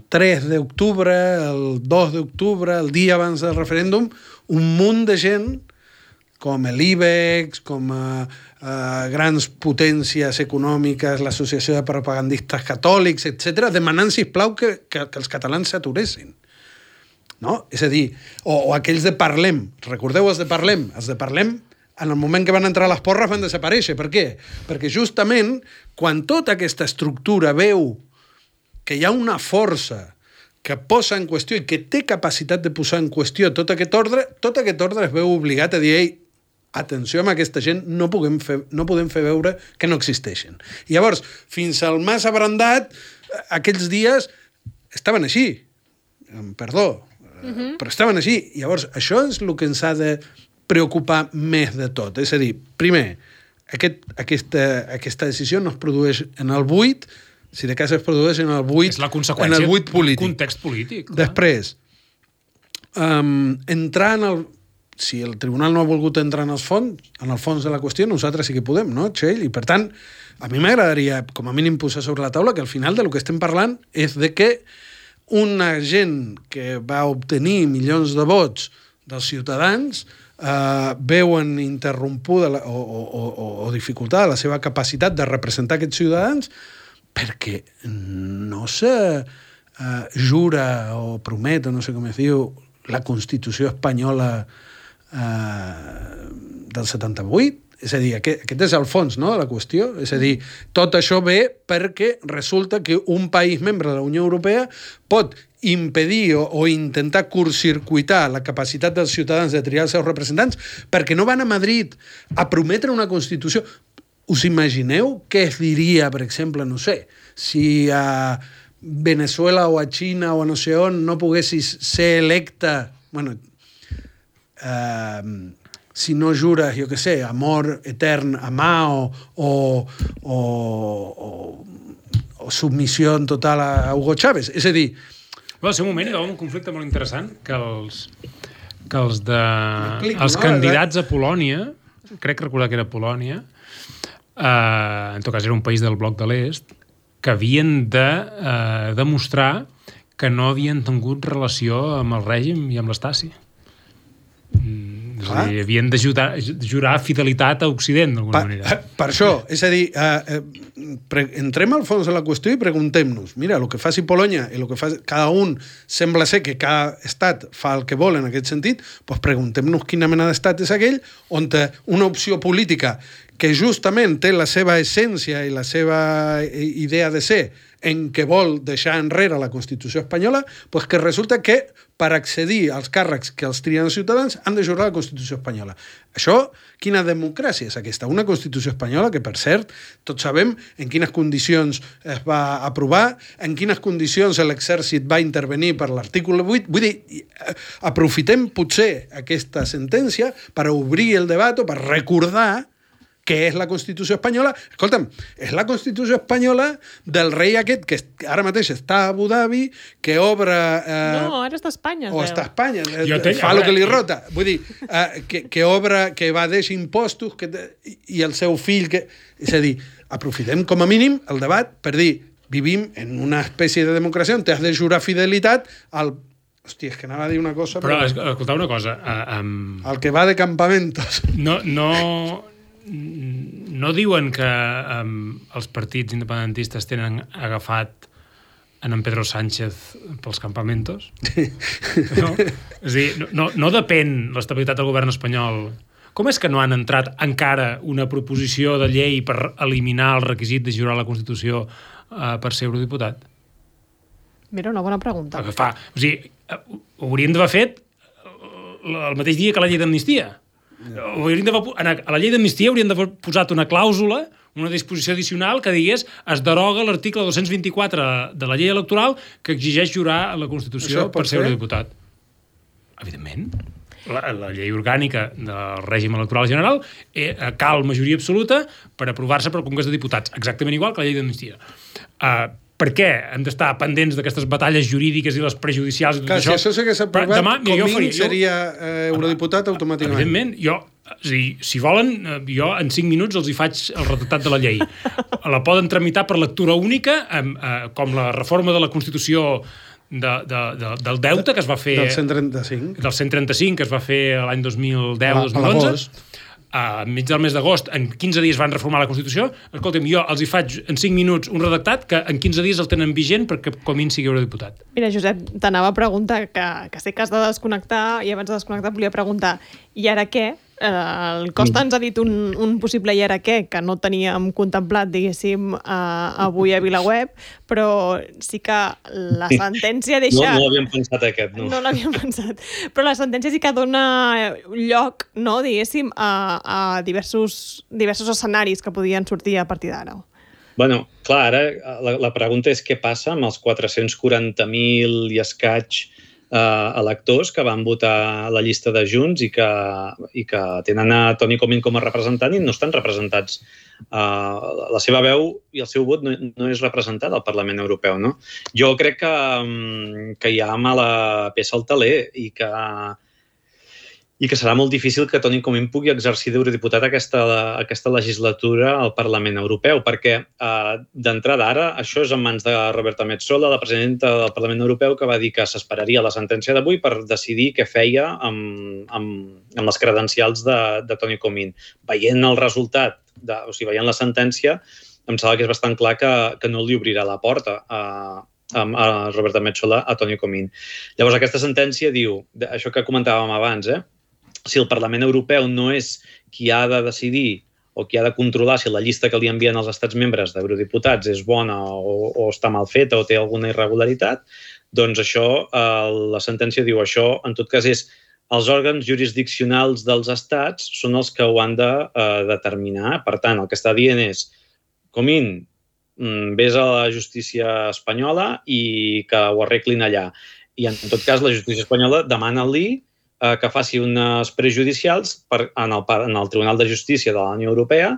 3 d'octubre, el 2 d'octubre, el dia abans del referèndum, un munt de gent com l'IBEX, com grans potències econòmiques, l'Associació de Propagandistes Catòlics, etc., demanant, sisplau, que els catalans s'aturessin. No? És a dir, o aquells de Parlem. Recordeu els de Parlem? Els de Parlem, en el moment que van entrar a les porres, van desaparèixer. Per què? Perquè justament, quan tota aquesta estructura veu que hi ha una força que posa en qüestió i que té capacitat de posar en qüestió tot aquest ordre es veu obligat a dir: ei, atenció amb aquesta gent, no podem fer veure que no existeixen. I llavors, fins al Mas Abrandat, aquells dies estaven així. Perdó, però estaven així. I llavors, això és el que ens ha de preocupar més de tot. És a dir, primer, aquesta decisió no es produeix en el buit, si de cas es produeix en el buit, és la conseqüència en el buit polític. Context polític. Clar. Després, entrar en el... Si el tribunal no ha volgut entrar en el fons de la qüestió, nosaltres sí que podem, no, Txell? I, per tant, a mi m'agradaria, com a mínim, posar sobre la taula que al final del que estem parlant és de que una gent que va obtenir milions de vots dels ciutadans veuen interrompuda o dificultada la seva capacitat de representar aquests ciutadans perquè no se jura o promet, o no sé com es diu, la Constitució espanyola del 78. És a dir, aquest és el fons, no, de la qüestió. És a dir, tot això ve perquè resulta que un país membre de la Unió Europea pot impedir o intentar curtcircuitar la capacitat dels ciutadans de triar els seus representants perquè no van a Madrid a prometre una Constitució. Us imagineu què es diria, per exemple, no sé, si a Venezuela o a Xina o a no sé on no poguessis ser electa, bueno, si no jures, jo què sé, amor etern a Mao o submissió total a Hugo Chávez. És a dir... Al seu moment hi va un conflicte molt interessant que els no? candidats a Polònia, crec recordar que era Polònia, en tot cas era un país del bloc de l'Est, que havien de demostrar que no havien tingut relació amb el règim i amb l'Estasi. És a dir, havien de jurar fidelitat a Occident, d'alguna manera. Per això, és a dir, entrem al fons de la qüestió i preguntem-nos, mira, el que faci Polònia i el que fa cada un, sembla ser que cada estat fa el que vol en aquest sentit, doncs preguntem-nos quina mena d'estat és aquell on una opció política que justament té la seva essència i la seva idea de ser en què vol deixar enrere la Constitució espanyola, doncs que resulta que per accedir als càrrecs que els trien els ciutadans han de jurar la Constitució espanyola. Això, quina democràcia és aquesta? Una Constitució espanyola que, per cert, tots sabem en quines condicions es va aprovar, en quines condicions l'exèrcit va intervenir per l'article 8. Vull dir, aprofitem potser aquesta sentència per obrir el debat o per recordar què és la Constitució espanyola. Escolta'm, és la Constitució espanyola del rei aquest que ara mateix està a Abu Dhabi, que obre... No, ara està a Espanya. O està a Espanya, fa el que li rota. Vull dir, que obre, que evadeix impostos, i el seu fill... És a dir, aprofitem com a mínim el debat per dir, vivim en una espècie de democràcia on t'has de jurar fidelitat al... Hòstia, és que anava a dir una cosa... Però escolta una cosa... El que va de campamentos. No diuen que els partits independentistes tenen agafat en Pedro Sánchez pels campamentos? No? És a dir, no depèn l'estabilitat del govern espanyol. Com és que no han entrat encara una proposició de llei per eliminar el requisit de jurar la Constitució per ser eurodiputat? Mira, una bona pregunta. O sigui, ho hauríem d'haver fet el mateix dia que la llei d'amnistia. A la llei d'amnistia haurien d'haver posat una clàusula, una disposició addicional que digués es deroga l'article 224 de la llei electoral que exigeix jurar la Constitució per ser eurodiputat. Evidentment. La llei orgànica del règim electoral general cal majoria absoluta per aprovar-se pel Congrés de Diputats, exactament igual que la llei d'amnistia. Per què hem d'estar pendents d'aquestes batalles jurídiques i les prejudicials i tot això? Si això s'hagués aprovat, Comín seria eurodiputat automàticament. Evidentment. Si volen, jo en 5 minuts els hi faig el redactat de la llei. La poden tramitar per lectura única, com la reforma de la Constitució del deute que es va fer... Del 135. Del 135, que es va fer l'any 2010-2011. Enmig del mes d'agost, en 15 dies van reformar la Constitució. Escolta'm, jo els hi faig en 5 minuts un redactat que en 15 dies el tenen vigent perquè Comín sigui eurodiputat. Mira, Josep, t'anava a preguntar, que sé que has de desconnectar, i abans de desconnectar volia preguntar, i ara què? El Costa ens ha dit un possible i ara què, que no teníem contemplat, diguéssim, avui a VilaWeb, però sí que la sentència deixa... No l'havíem pensat aquest, no. No l'havíem pensat. Però la sentència sí que dona lloc, no, diguéssim, a diversos escenaris que podien sortir a partir d'ara. Bueno, clar, ara la pregunta és què passa amb els 440.000 i escaig electors que van votar la llista de Junts i que tenen a Toni Comín com a representant i no estan representats. La seva veu i el seu vot no és representat al Parlament Europeu, no? Jo crec que hi ha mala peça al teler i que serà molt difícil que Toni Comín pugui exercir d'eurodiputat aquesta legislatura al Parlament Europeu, perquè d'entrada ara això és en mans de Roberta Metsola, la presidenta del Parlament Europeu, que va dir que s'esperaria la sentència d'avui per decidir què feia amb les credencials de Toni Comín. Veient el resultat, veient la sentència, em sembla que és bastant clar que no li obrirà la porta a Roberta Metsola a Toni Comín. Llavors, aquesta sentència diu, això que comentàvem abans, si el Parlament Europeu no és qui ha de decidir o qui ha de controlar si la llista que li envien els estats membres d'eurodiputats és bona o està mal feta o té alguna irregularitat, doncs això, la sentència diu això, en tot cas és els òrgans jurisdiccionals dels estats són els que ho han de determinar. Per tant, el que està dient és Comín, vés a la justícia espanyola i que ho arreglin allà. I, en tot cas, la justícia espanyola demana-li que faci unes prejudicials en el Tribunal de Justícia de la Unió Europea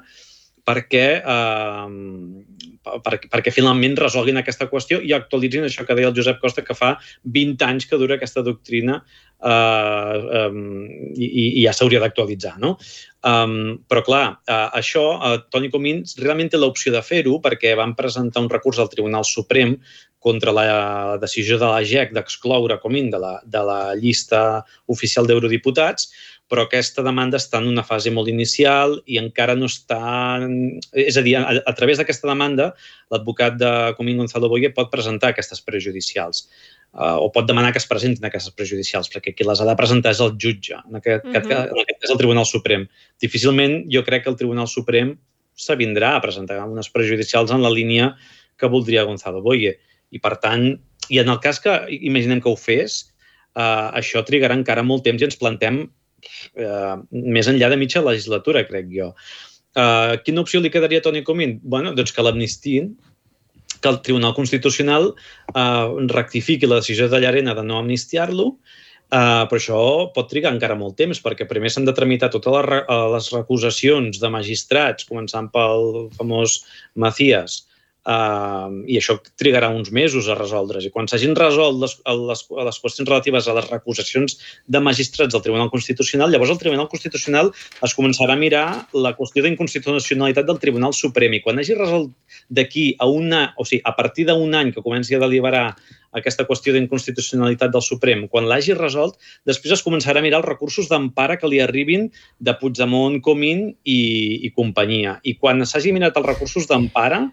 perquè finalment resolguin aquesta qüestió i actualitzin això que deia el Josep Costa, que fa 20 anys que dura aquesta doctrina i ja s'hauria d'actualitzar, no? Però, clar, això, Toni Comín realment té l'opció de fer-ho perquè van presentar un recurs al Tribunal Suprem contra la decisió de la JEC d'excloure Comín de la llista oficial d'eurodiputats, però aquesta demanda està en una fase molt inicial i encara no està... És a dir, a través d'aquesta demanda, l'advocat de Comín, Gonzalo Boye, pot presentar aquestes prejudicials o pot demanar que es presentin aquestes prejudicials, perquè qui les ha de presentar és el jutge, en aquest cas el Tribunal Suprem. Difícilment jo crec que el Tribunal Suprem s'avindrà a presentar unes prejudicials en la línia que voldria Gonzalo Boye. I, per tant, i en el cas que imaginem que ho fes, això trigarà encara molt temps i ens plantem més enllà de mitja legislatura, crec jo. Quina opció li quedaria a Toni Comín? Bé, doncs que l'amnistiin, que el Tribunal Constitucional rectifiqui la decisió de Llarena de no amnistiar-lo, però això pot trigar encara molt temps, perquè primer s'han de tramitar totes les recusacions de magistrats, començant pel famós Macías, i això trigarà uns mesos a resoldre's. I quan s'hagin resolt les qüestions relatives a les recusacions de magistrats del Tribunal Constitucional, llavors el Tribunal Constitucional es començarà a mirar la qüestió d'inconstitucionalitat del Tribunal Suprem. I quan hagi resolt d'aquí a partir d'un any que comenci a deliberar aquesta qüestió d'inconstitucionalitat del Suprem, quan l'hagi resolt, després es començarà a mirar els recursos d'empara que li arribin de Puigdemont, Comín i companyia. I quan s'hagi mirat els recursos d'empara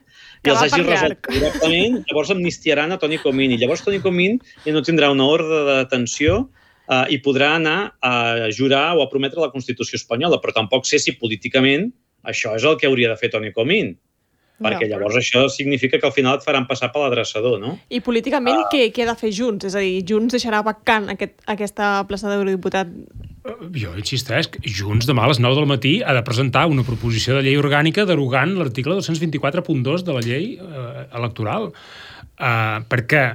i els hagi resolt directament, llavors amnistiaran a Toni Comín. I llavors Toni Comín ja no tindrà una ordre de detenció i podrà anar a jurar o a prometre la Constitució espanyola, però tampoc sé si políticament això és el que hauria de fer Toni Comín. Perquè llavors això significa que al final et faran passar per l'adreçador, no? I políticament què ha de fer Junts? És a dir, Junts deixarà vacant aquesta plaça d'eurodiputat? Jo insisteix, Junts demà a les 9 del matí ha de presentar una proposició de llei orgànica derogant l'article 224.2 de la llei electoral. Perquè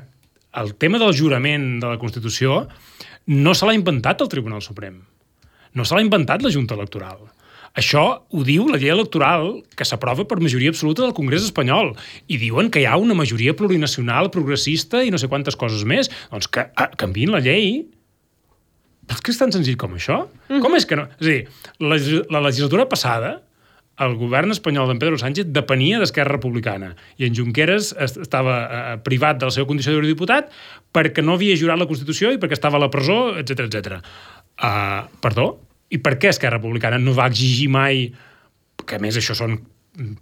el tema del jurament de la Constitució no se l'ha inventat el Tribunal Suprem. No se l'ha inventat la Junta Electoral. Això ho diu la llei electoral que s'aprova per majoria absoluta del Congrés espanyol i diuen que hi ha una majoria plurinacional, progressista i no sé quantes coses més. Doncs que canviïn la llei. És que és tan senzill com això? Com és que no? És a dir, la legislatura passada el govern espanyol d'en Pedro Sánchez depenia d'Esquerra Republicana i en Junqueras estava privat de la seva condició d'eurodiputat perquè no havia jurat la Constitució i perquè estava a la presó, etc. Perdó? I per què Esquerra Republicana no va exigir mai, que a més això són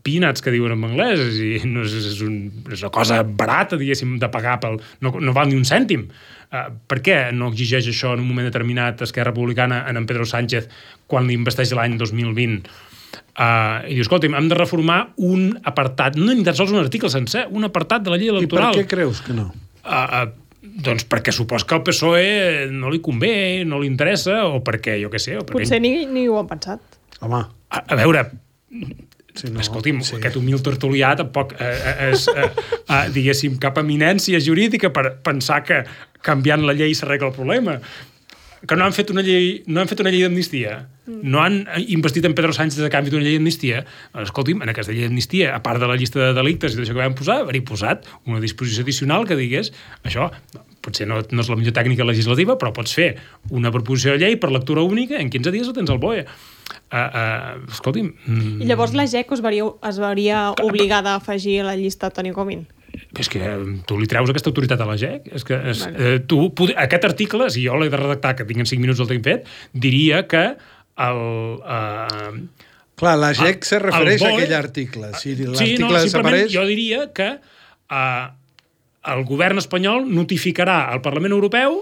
peanuts que diuen en anglès, i no és una cosa barata, diguéssim, de pagar, no val ni un cèntim. Per què no exigeix això en un moment determinat Esquerra Republicana en Pedro Sánchez quan l'investeix l'any 2020? I diu, escolta'm, hem de reformar un apartat, no ni tan sols un article sencer, un apartat de la llei electoral. I per què creus que no? Doncs perquè supos que al PSOE no li convé, no li interessa, o perquè, jo què sé... Potser ni ho han pensat. Home. A veure, Sí, no, escolti'm, sí. aquest humil tertulià tampoc és, diguéssim, cap eminència jurídica per pensar que canviant la llei s'arregla el problema. Que no han fet una llei d'amnistia, no han investit en Pedro Sánchez a canvi d'una llei d'amnistia. Escolti'm, en aquesta llei d'amnistia, a part de la llista de delictes i d'això que vam posar, haver-hi posat una disposició addicional que digués això, potser no és la millor tècnica legislativa, però pots fer una proposició de llei per lectura única, en 15 dies ho tens al BOE. Escolti'm... I llavors la GEC es veuria obligada a afegir a la llista Toni Comín? És que tu li treus aquesta autoritat a la GEC. És que aquest article, si jo l'he de redactar, que tinc en 5 minuts el tinc fet, diria que Clar, la GEC se refereix a aquell article. Si l'article desapareix... Jo diria que el govern espanyol notificarà al Parlament Europeu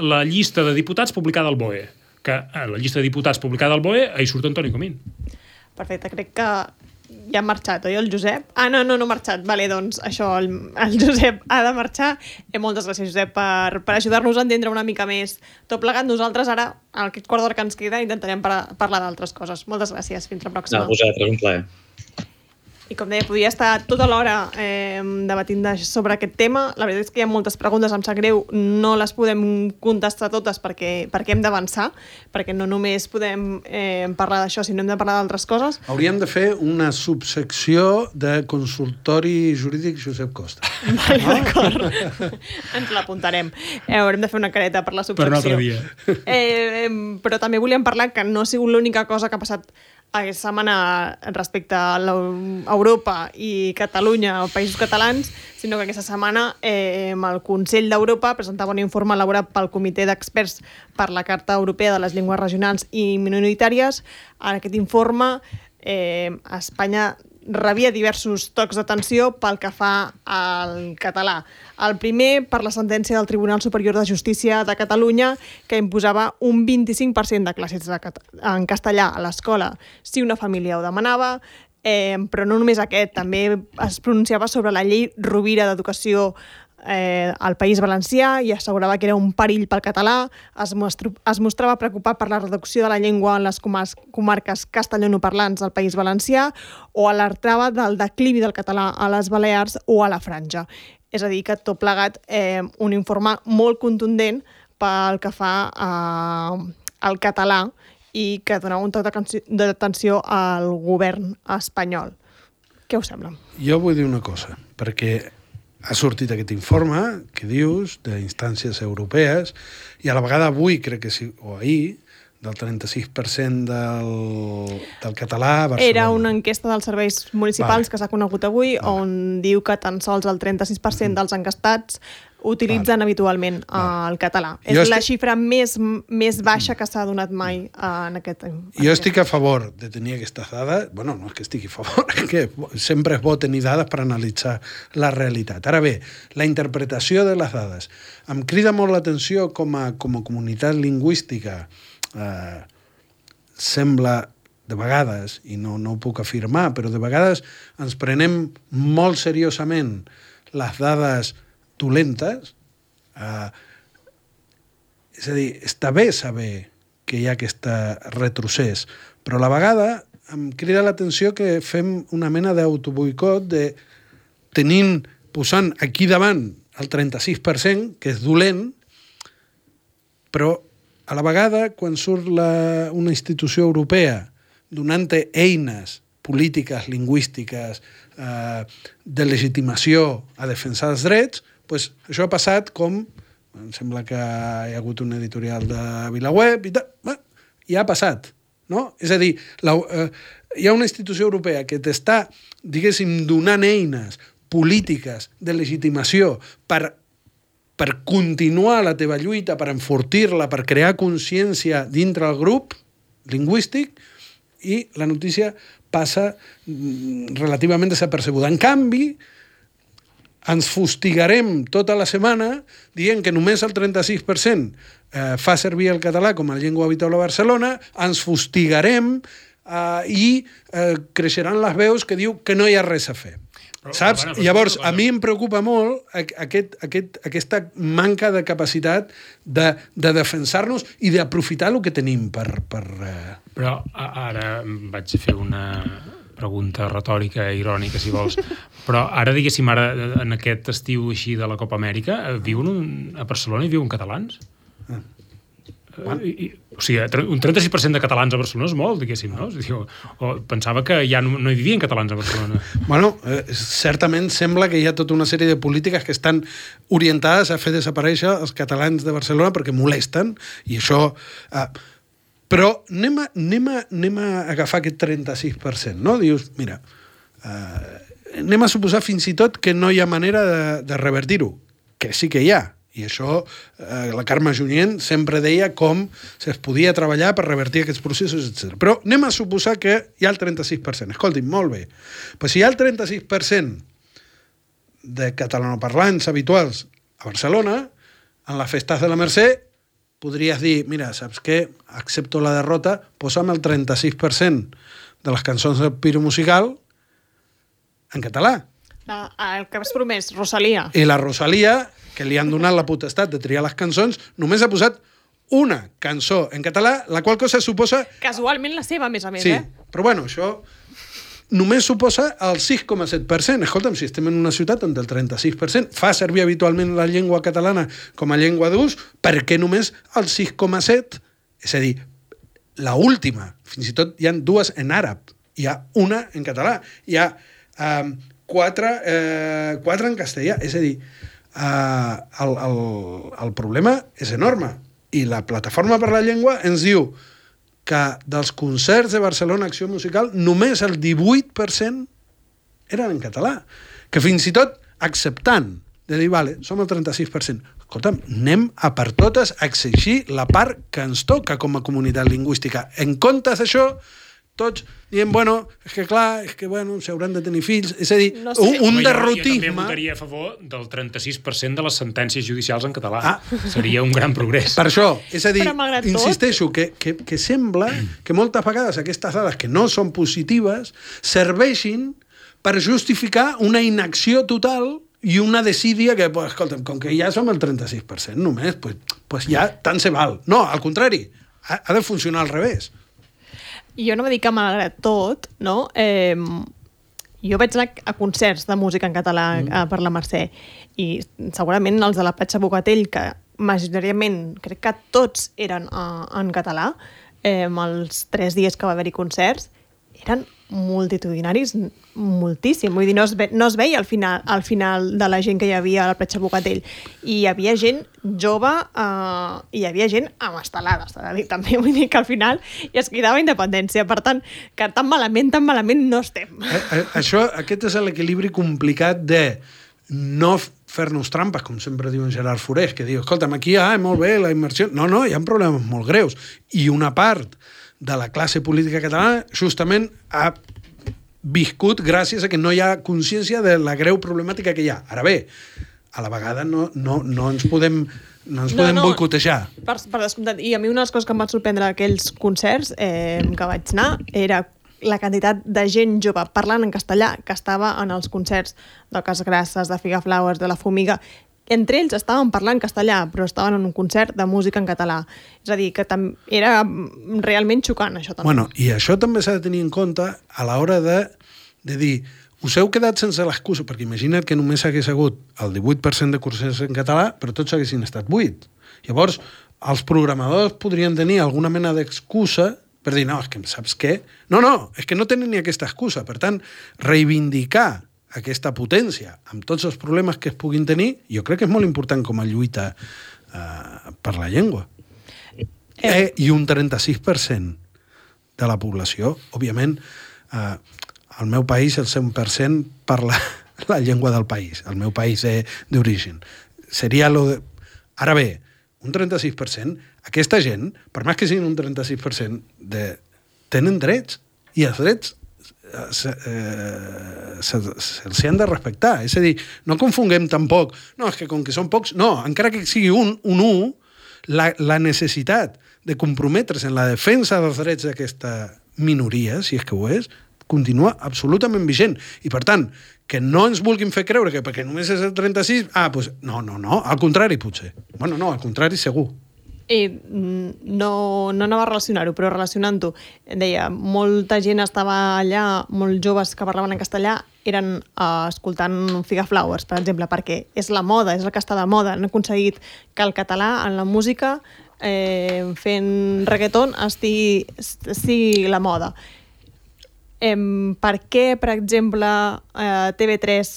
la llista de diputats publicada al BOE. Que a la llista de diputats publicada al BOE hi surt Toni Comín. Perfecte, crec que ja ha marxat, oi, el Josep? No ha marxat. Vale, doncs això, el Josep ha de marxar. Moltes gràcies, Josep, per ajudar-nos a entendre una mica més tot plegat. Nosaltres ara, aquest quart d'hora que ens queda, intentarem parlar d'altres coses. Moltes gràcies, fins la pròxima. A vosaltres, un plaer. I com deia, podria estar tota l'hora debatint sobre aquest tema. La veritat és que hi ha moltes preguntes, em sap greu, no les podem contestar totes perquè hem d'avançar, perquè no només podem parlar d'això, sinó hem de parlar d'altres coses. Hauríem de fer una subsecció de consultori jurídic Josep Costa. Vale, d'acord. Ens l'apuntarem. Haurem de fer una careta per la subsecció. Per un altre dia. Però també volíem parlar que no ha sigut l'única cosa que ha passat aquesta setmana respecte a Europa i Catalunya, o països catalans, sinó que aquesta setmana el Consell d'Europa presentava un informe elaborat pel Comitè d'Experts per la Carta Europea de les Llengües Regionals i Minoritàries. En aquest informe, Espanya rebia diversos tocs d'atenció pel que fa al català. El primer, per la sentència del Tribunal Superior de Justícia de Catalunya, que imposava un 25% de classes en castellà a l'escola si una família ho demanava, però no només aquest, també es pronunciava sobre la llei Rovira d'Educació al País Valencià i assegurava que era un perill pel català, es mostrava preocupat per la reducció de la llengua en les comarques castellanoparlants del País Valencià o alertava del declivi del català a les Balears o a la Franja. És a dir, que tot plegat un informe molt contundent pel que fa al català i que donava un toc d'atenció al govern espanyol. Què us sembla? Jo vull dir una cosa, perquè ha sortit aquest informe que dius d'instàncies europees i a la vegada avui, crec que sí, o ahir, del 36% del català a Barcelona. Era una enquesta dels serveis municipals que s'ha conegut avui, on diu que tan sols el 36% dels enquestats utilitzen habitualment el català. És la xifra més baixa que s'ha donat mai en aquest... Jo estic a favor de tenir aquestes dades. Bueno, no és que estigui a favor, és que sempre és bo tenir dades per analitzar la realitat. Ara bé, la interpretació de les dades. Em crida molt l'atenció com a comunitat lingüística sembla de vegades, i no ho puc afirmar, però de vegades ens prenem molt seriosament les dades dolentes. És a dir, està bé saber que hi ha aquest retrocés, però a la vegada em crida l'atenció que fem una mena d'autoboicot de posant aquí davant el 36%, que és dolent, però a la vegada, quan surt una institució europea donant-te eines polítiques, lingüístiques, de legitimació a defensar els drets, doncs això ha passat com, em sembla que hi ha hagut un editorial de VilaWeb i tal, i ha passat, no? És a dir, hi ha una institució europea que t'està, diguéssim, donant eines polítiques de legitimació per continuar la teva lluita, per enfortir-la, per crear consciència dintre el grup lingüístic, i la notícia passa relativament desapercebuda. En canvi, ens fustigarem tota la setmana dient que només el 36% fa servir el català com a llengua habitual a Barcelona, ens fustigarem i creixeran les veus que diu que no hi ha res a fer. Saps? Llavors, a mi em preocupa molt aquesta manca de capacitat de defensar-nos i d'aprofitar el que tenim per... Però ara vaig fer una pregunta retòrica, irònica, si vols. Però ara, diguéssim, en aquest estiu així de la Copa Amèrica, viuen a Barcelona i viuen catalans? O sigui, un 36% de catalans a Barcelona és molt, diguéssim, no? Pensava que ja no hi vivien catalans a Barcelona. Bueno, certament sembla que hi ha tota una sèrie de polítiques que estan orientades a fer desaparèixer els catalans de Barcelona perquè molesten, i això... Però anem a agafar aquest 36%, no? Dius, mira, anem a suposar fins i tot que no hi ha manera de revertir-ho, que sí que hi ha. I això, la Carme Junyent sempre deia com es podia treballar per revertir aquests processos, etc. Però anem a suposar que hi ha el 36%. Escolti'm, molt bé. Però si hi ha el 36% de catalanoparlants habituals a Barcelona, en les festes de la Mercè, podries dir, mira, saps què? Accepto la derrota, posa'm el 36% de les cançons del Piro Musical en català. El que has promès, Rosalia. I la Rosalia, que li han donat la potestat de triar les cançons, només ha posat una cançó en català, la qual cosa suposa... Casualment la seva, a més, sí, però bueno, això només suposa el 6,7%. Escolta'm, si estem en una ciutat on el 36% fa servir habitualment la llengua catalana com a llengua d'ús, per què només el 6,7%? És a dir, la última, fins i tot hi ha dues en àrab, hi ha una en català, hi ha quatre en castellà, és a dir, el problema és enorme, i la Plataforma per la Llengua ens diu que dels concerts de Barcelona Acció Musical només el 18% eren en català, que fins i tot acceptant de dir, vale, som el 36%, escolta'm, anem a per totes a exigir la part que ens toca com a comunitat lingüística. En comptes d'això, tots dient, bueno, és que s'hauran de tenir fills. És a dir, no sé. un derrotisme... Jo també votaria a favor del 36% de les sentències judicials en català. Seria un gran progrés. Per això, és a dir, insisteixo, que sembla que moltes vegades aquestes dades que no són positives serveixin per justificar una inacció total i una desídia que, escolta'm, com que ja som el 36% només, pues ja tant se val. No, al contrari, ha de funcionar al revés. Jo no m'he dit que malgrat tot, no? Jo vaig anar a concerts de música en català per la Mercè, i segurament els de la Platja Bogatell, que majoritàriament crec que tots eren en català, els 3 dies que va haver-hi concerts, eren multitudinaris, moltíssim. Vull dir, no es veia al final de la gent que hi havia a la Platja Bogatell. I hi havia gent jove i hi havia gent amb estelades. També vull dir que al final ja es cridava independència. Per tant, que tan malament no estem. Aquest és l'equilibri complicat de no fer-nos trampes, com sempre diu en Gerard Forés, que diu, escolta'm, aquí molt bé la immersió. No, hi ha problemes molt greus. I una part de la classe política catalana justament ha viscut gràcies a que no hi ha consciència de la greu problemàtica que hi ha. Ara bé, a la vegada no ens podem boicotejar. Per descomptat. I a mi una de les coses que em va sorprendre d'aquells concerts que vaig anar era la quantitat de gent jove parlant en castellà que estava en els concerts de Casgrasses, de Figaflowers, de La Fumiga. Entre ells estaven parlant castellà, però estaven en un concert de música en català. És a dir, que era realment xocant, això també. Bueno, i això també s'ha de tenir en compte a l'hora de dir, us heu quedat sense l'excusa, perquè imagina't que només hagués hagut el 18% de concerts en català, però tots haguessin estat 8. Llavors, els programadors podrien tenir alguna mena d'excusa per dir, no, és que saps què? No, és que no tenen ni aquesta excusa. Per tant, reivindicar aquesta potència, amb tots els problemes que es puguin tenir, jo crec que és molt important com a lluita per la llengua. I un 36% de la població, òbviament, al meu país el 100% parla la llengua del país, el meu país d'origen. Seria Ara bé, un 36%, aquesta gent, per més que siguin un 36%, tenen drets, i els drets se'ls han de respectar. És a dir, no confonguem tampoc, no, és que com que són pocs, no, encara que sigui un 1, la necessitat de comprometre's en la defensa dels drets d'aquesta minoria, si és que ho és, continua absolutament vigent. I per tant, que no ens vulguin fer creure que perquè només és el 36, doncs no, al contrari potser. Bueno, no, al contrari segur. I no anava a relacionar-ho, però relacionant-ho, deia, molta gent estava allà, molts joves que parlaven en castellà, eren escoltant Figaflowers, per exemple, perquè és la moda, és el que està de moda. Han aconseguit que el català en la música, fent reggaeton, estigui la moda. Per què, per exemple, TV3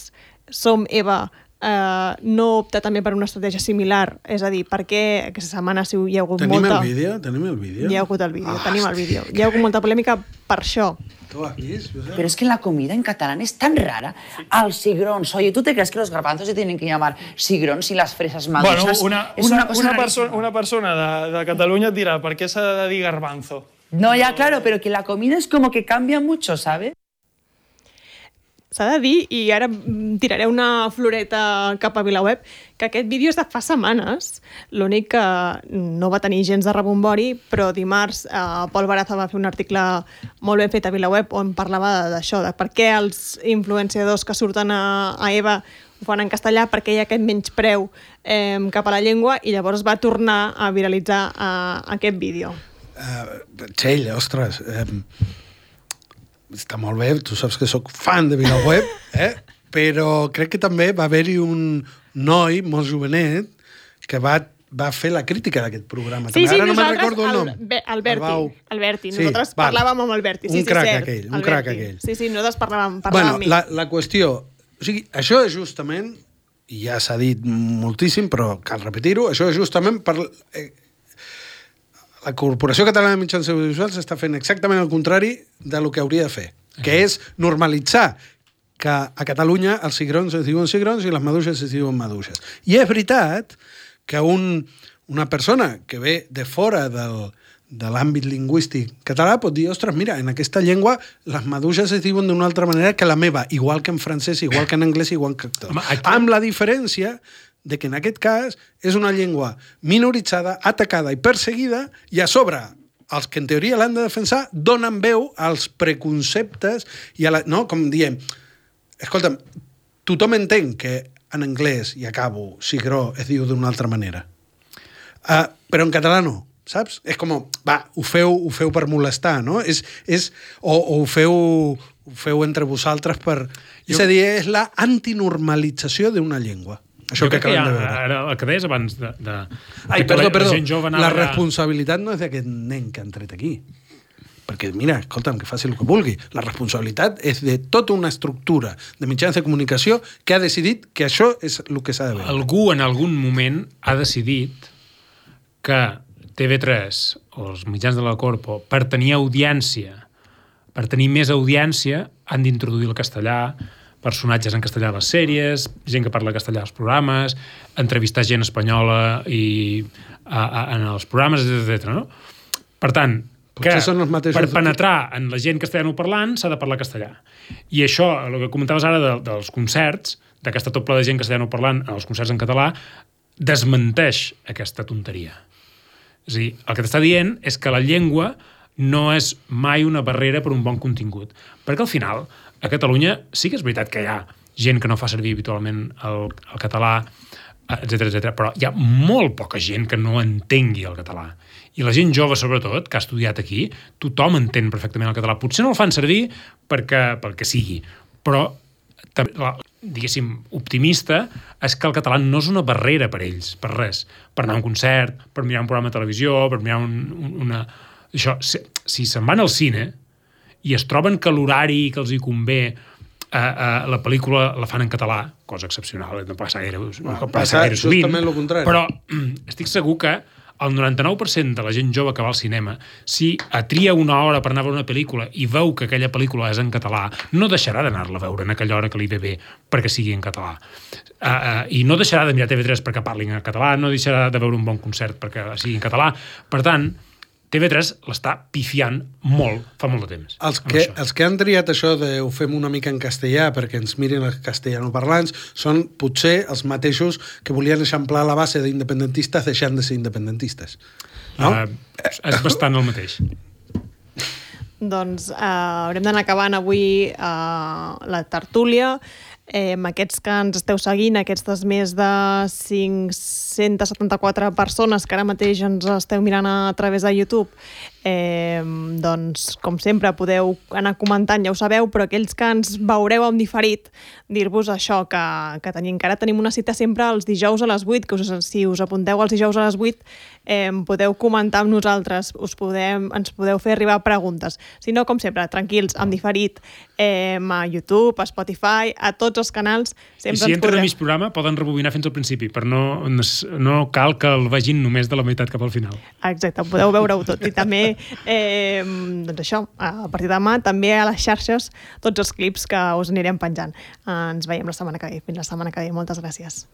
Som Eva no opta també per una estratègia similar? És a dir, per què aquesta setmana hi ha hagut Tenim molta... Tenim el vídeo? Hi ha hagut el vídeo, tenim el vídeo. Hi ha hagut molta polèmica per això. ¿Tú has visto? Pero es que la comida en catalán es tan rara. Al cigrons. Oye, ¿tú te crees que los garbanzos se tienen que llamar cigrons y las fresas madusas? Bueno, es una cosa rarísima. una persona de Catalunya et dirà per què s'ha de dir garbanzo. No, ya claro, pero que la comida es como que cambia mucho, ¿sabes? S'ha de dir, i ara tiraré una floreta cap a VilaWeb, que aquest vídeo és de fa setmanes. L'únic que no va tenir gens de rebombori, però dimarts Pol Baraza va fer un article molt ben fet a VilaWeb on parlava d'això, de per què els influenciadors que surten a Eva ho fan en castellà, perquè hi ha aquest menyspreu cap a la llengua, i llavors va tornar a viralitzar aquest vídeo. Txell, ostres... Està molt bé, tu saps que sóc fan de VilaWeb, però crec que també va haver-hi un noi molt jovenet que va fer la crítica d'aquest programa. Sí, Ara no me'n nosaltres, recordo el nom. Alberti. Sí, Nosaltres parlàvem amb Alberti. Un crac aquell. Sí, nosaltres parlàvem Bueno, amb ell. la qüestió... O sigui, això és justament, i ja s'ha dit moltíssim, però cal repetir-ho, això és justament per... La Corporació Catalana de Mitjans Audiovisuals està fent exactament el contrari de lo que hauria de fer, que és normalitzar que a Catalunya els cigrons es diuen cigrons i les maduixes es diuen maduixes. I és veritat que una persona que ve de fora de l'àmbit lingüístic català pot dir, ostres, mira, en aquesta llengua les maduixes es diuen d'una altra manera que la meva, igual que en francès, igual que en anglès, igual que tot. Amb la diferència de que en aquest cas és una llengua minoritzada, atacada i perseguida, i a sobre els que en teoria l'han de defensar donen veu als preconceptes i a la... No, com diem, escolta'm, tothom entén que en anglès, i acabo, cigró es diu d'una altra manera. Però en català no, saps? És com, va, ho feu per molestar, no? O ho feu entre vosaltres per... És a dir, és la antinormalització d'una llengua. Això que acabem de veure. Ara, el que deies abans de Ai, perdó. La allà... responsabilitat no és d'aquest nen que han tret aquí. Perquè, mira, escolta'm, que faci el que vulgui. La responsabilitat és de tota una estructura de mitjans de comunicació que ha decidit que això és el que s'ha de veure. Algú en algun moment ha decidit que TV3 o els mitjans de la Corpo, per tenir audiència, per tenir més audiència, han d'introduir el castellà, personatges en castellà a les sèries, gent que parla castellà als programes, entrevistar gent espanyola en els programes, etc. No? Per tant, que per penetrar en la gent castellanoparlant s'ha de parlar castellà. I això, el que comentaves ara dels concerts, d'aquesta topla de gent castellanoparlant en els concerts en català, desmenteix aquesta tonteria. És a dir, el que t'està dient és que la llengua no és mai una barrera per un bon contingut. Perquè al final, a Catalunya sí que és veritat que hi ha gent que no fa servir habitualment el català, etc, però hi ha molt poca gent que no entengui el català. I la gent jove, sobretot, que ha estudiat aquí, tothom entén perfectament el català. Potser no el fan servir pel que sigui, però diguéssim, optimista és que el català no és una barrera per ells, per res. Per anar a un concert, per mirar un programa de televisió, per mirar una... Això, si se'n van al cine i es troben que l'horari que els hi convé la pel·lícula la fan en català, cosa excepcional, no passa gaire sovint, justament el contrari. Però estic segur que el 99% de la gent jove que va al cinema, si tria una hora per anar a veure una pel·lícula i veu que aquella pel·lícula és en català, no deixarà d'anar-la a veure en aquella hora que li ve bé perquè sigui en català. I no deixarà de mirar TV3 perquè parlin en català, no deixarà de veure un bon concert perquè sigui en català. Per tant, TV3 l'està pifiant molt, fa molt de temps. Els que han triat això de ho fem una mica en castellà perquè ens mirin els castellanoparlants són potser els mateixos que volien eixamplar la base d'independentistes deixant de ser independentistes. No? És bastant el mateix. Doncs haurem d'anar acabant avui la tertúlia. Aquests que ens esteu seguint, aquestes més de 574 persones que ara mateix ens esteu mirant a través de YouTube, doncs, com sempre, podeu anar comentant, ja ho sabeu, però aquells que ens veureu en diferit, dir-vos això, que encara tenim una cita sempre els dijous a les 8, que si us apunteu els dijous a les 8, podeu comentar amb nosaltres, ens podeu fer arribar preguntes. Si no, com sempre, tranquils, en diferit, a YouTube, a Spotify, a tots els canals. I si entren a mig programa, poden rebobinar fins al principi, però no cal que el vegin només de la meitat cap al final. Exacte, podeu veure-ho tot. I també, doncs això, a partir de demà, també a les xarxes, tots els clips que us anirem penjant. Ens veiem la setmana que ve. Fins la setmana que ve. Moltes gràcies.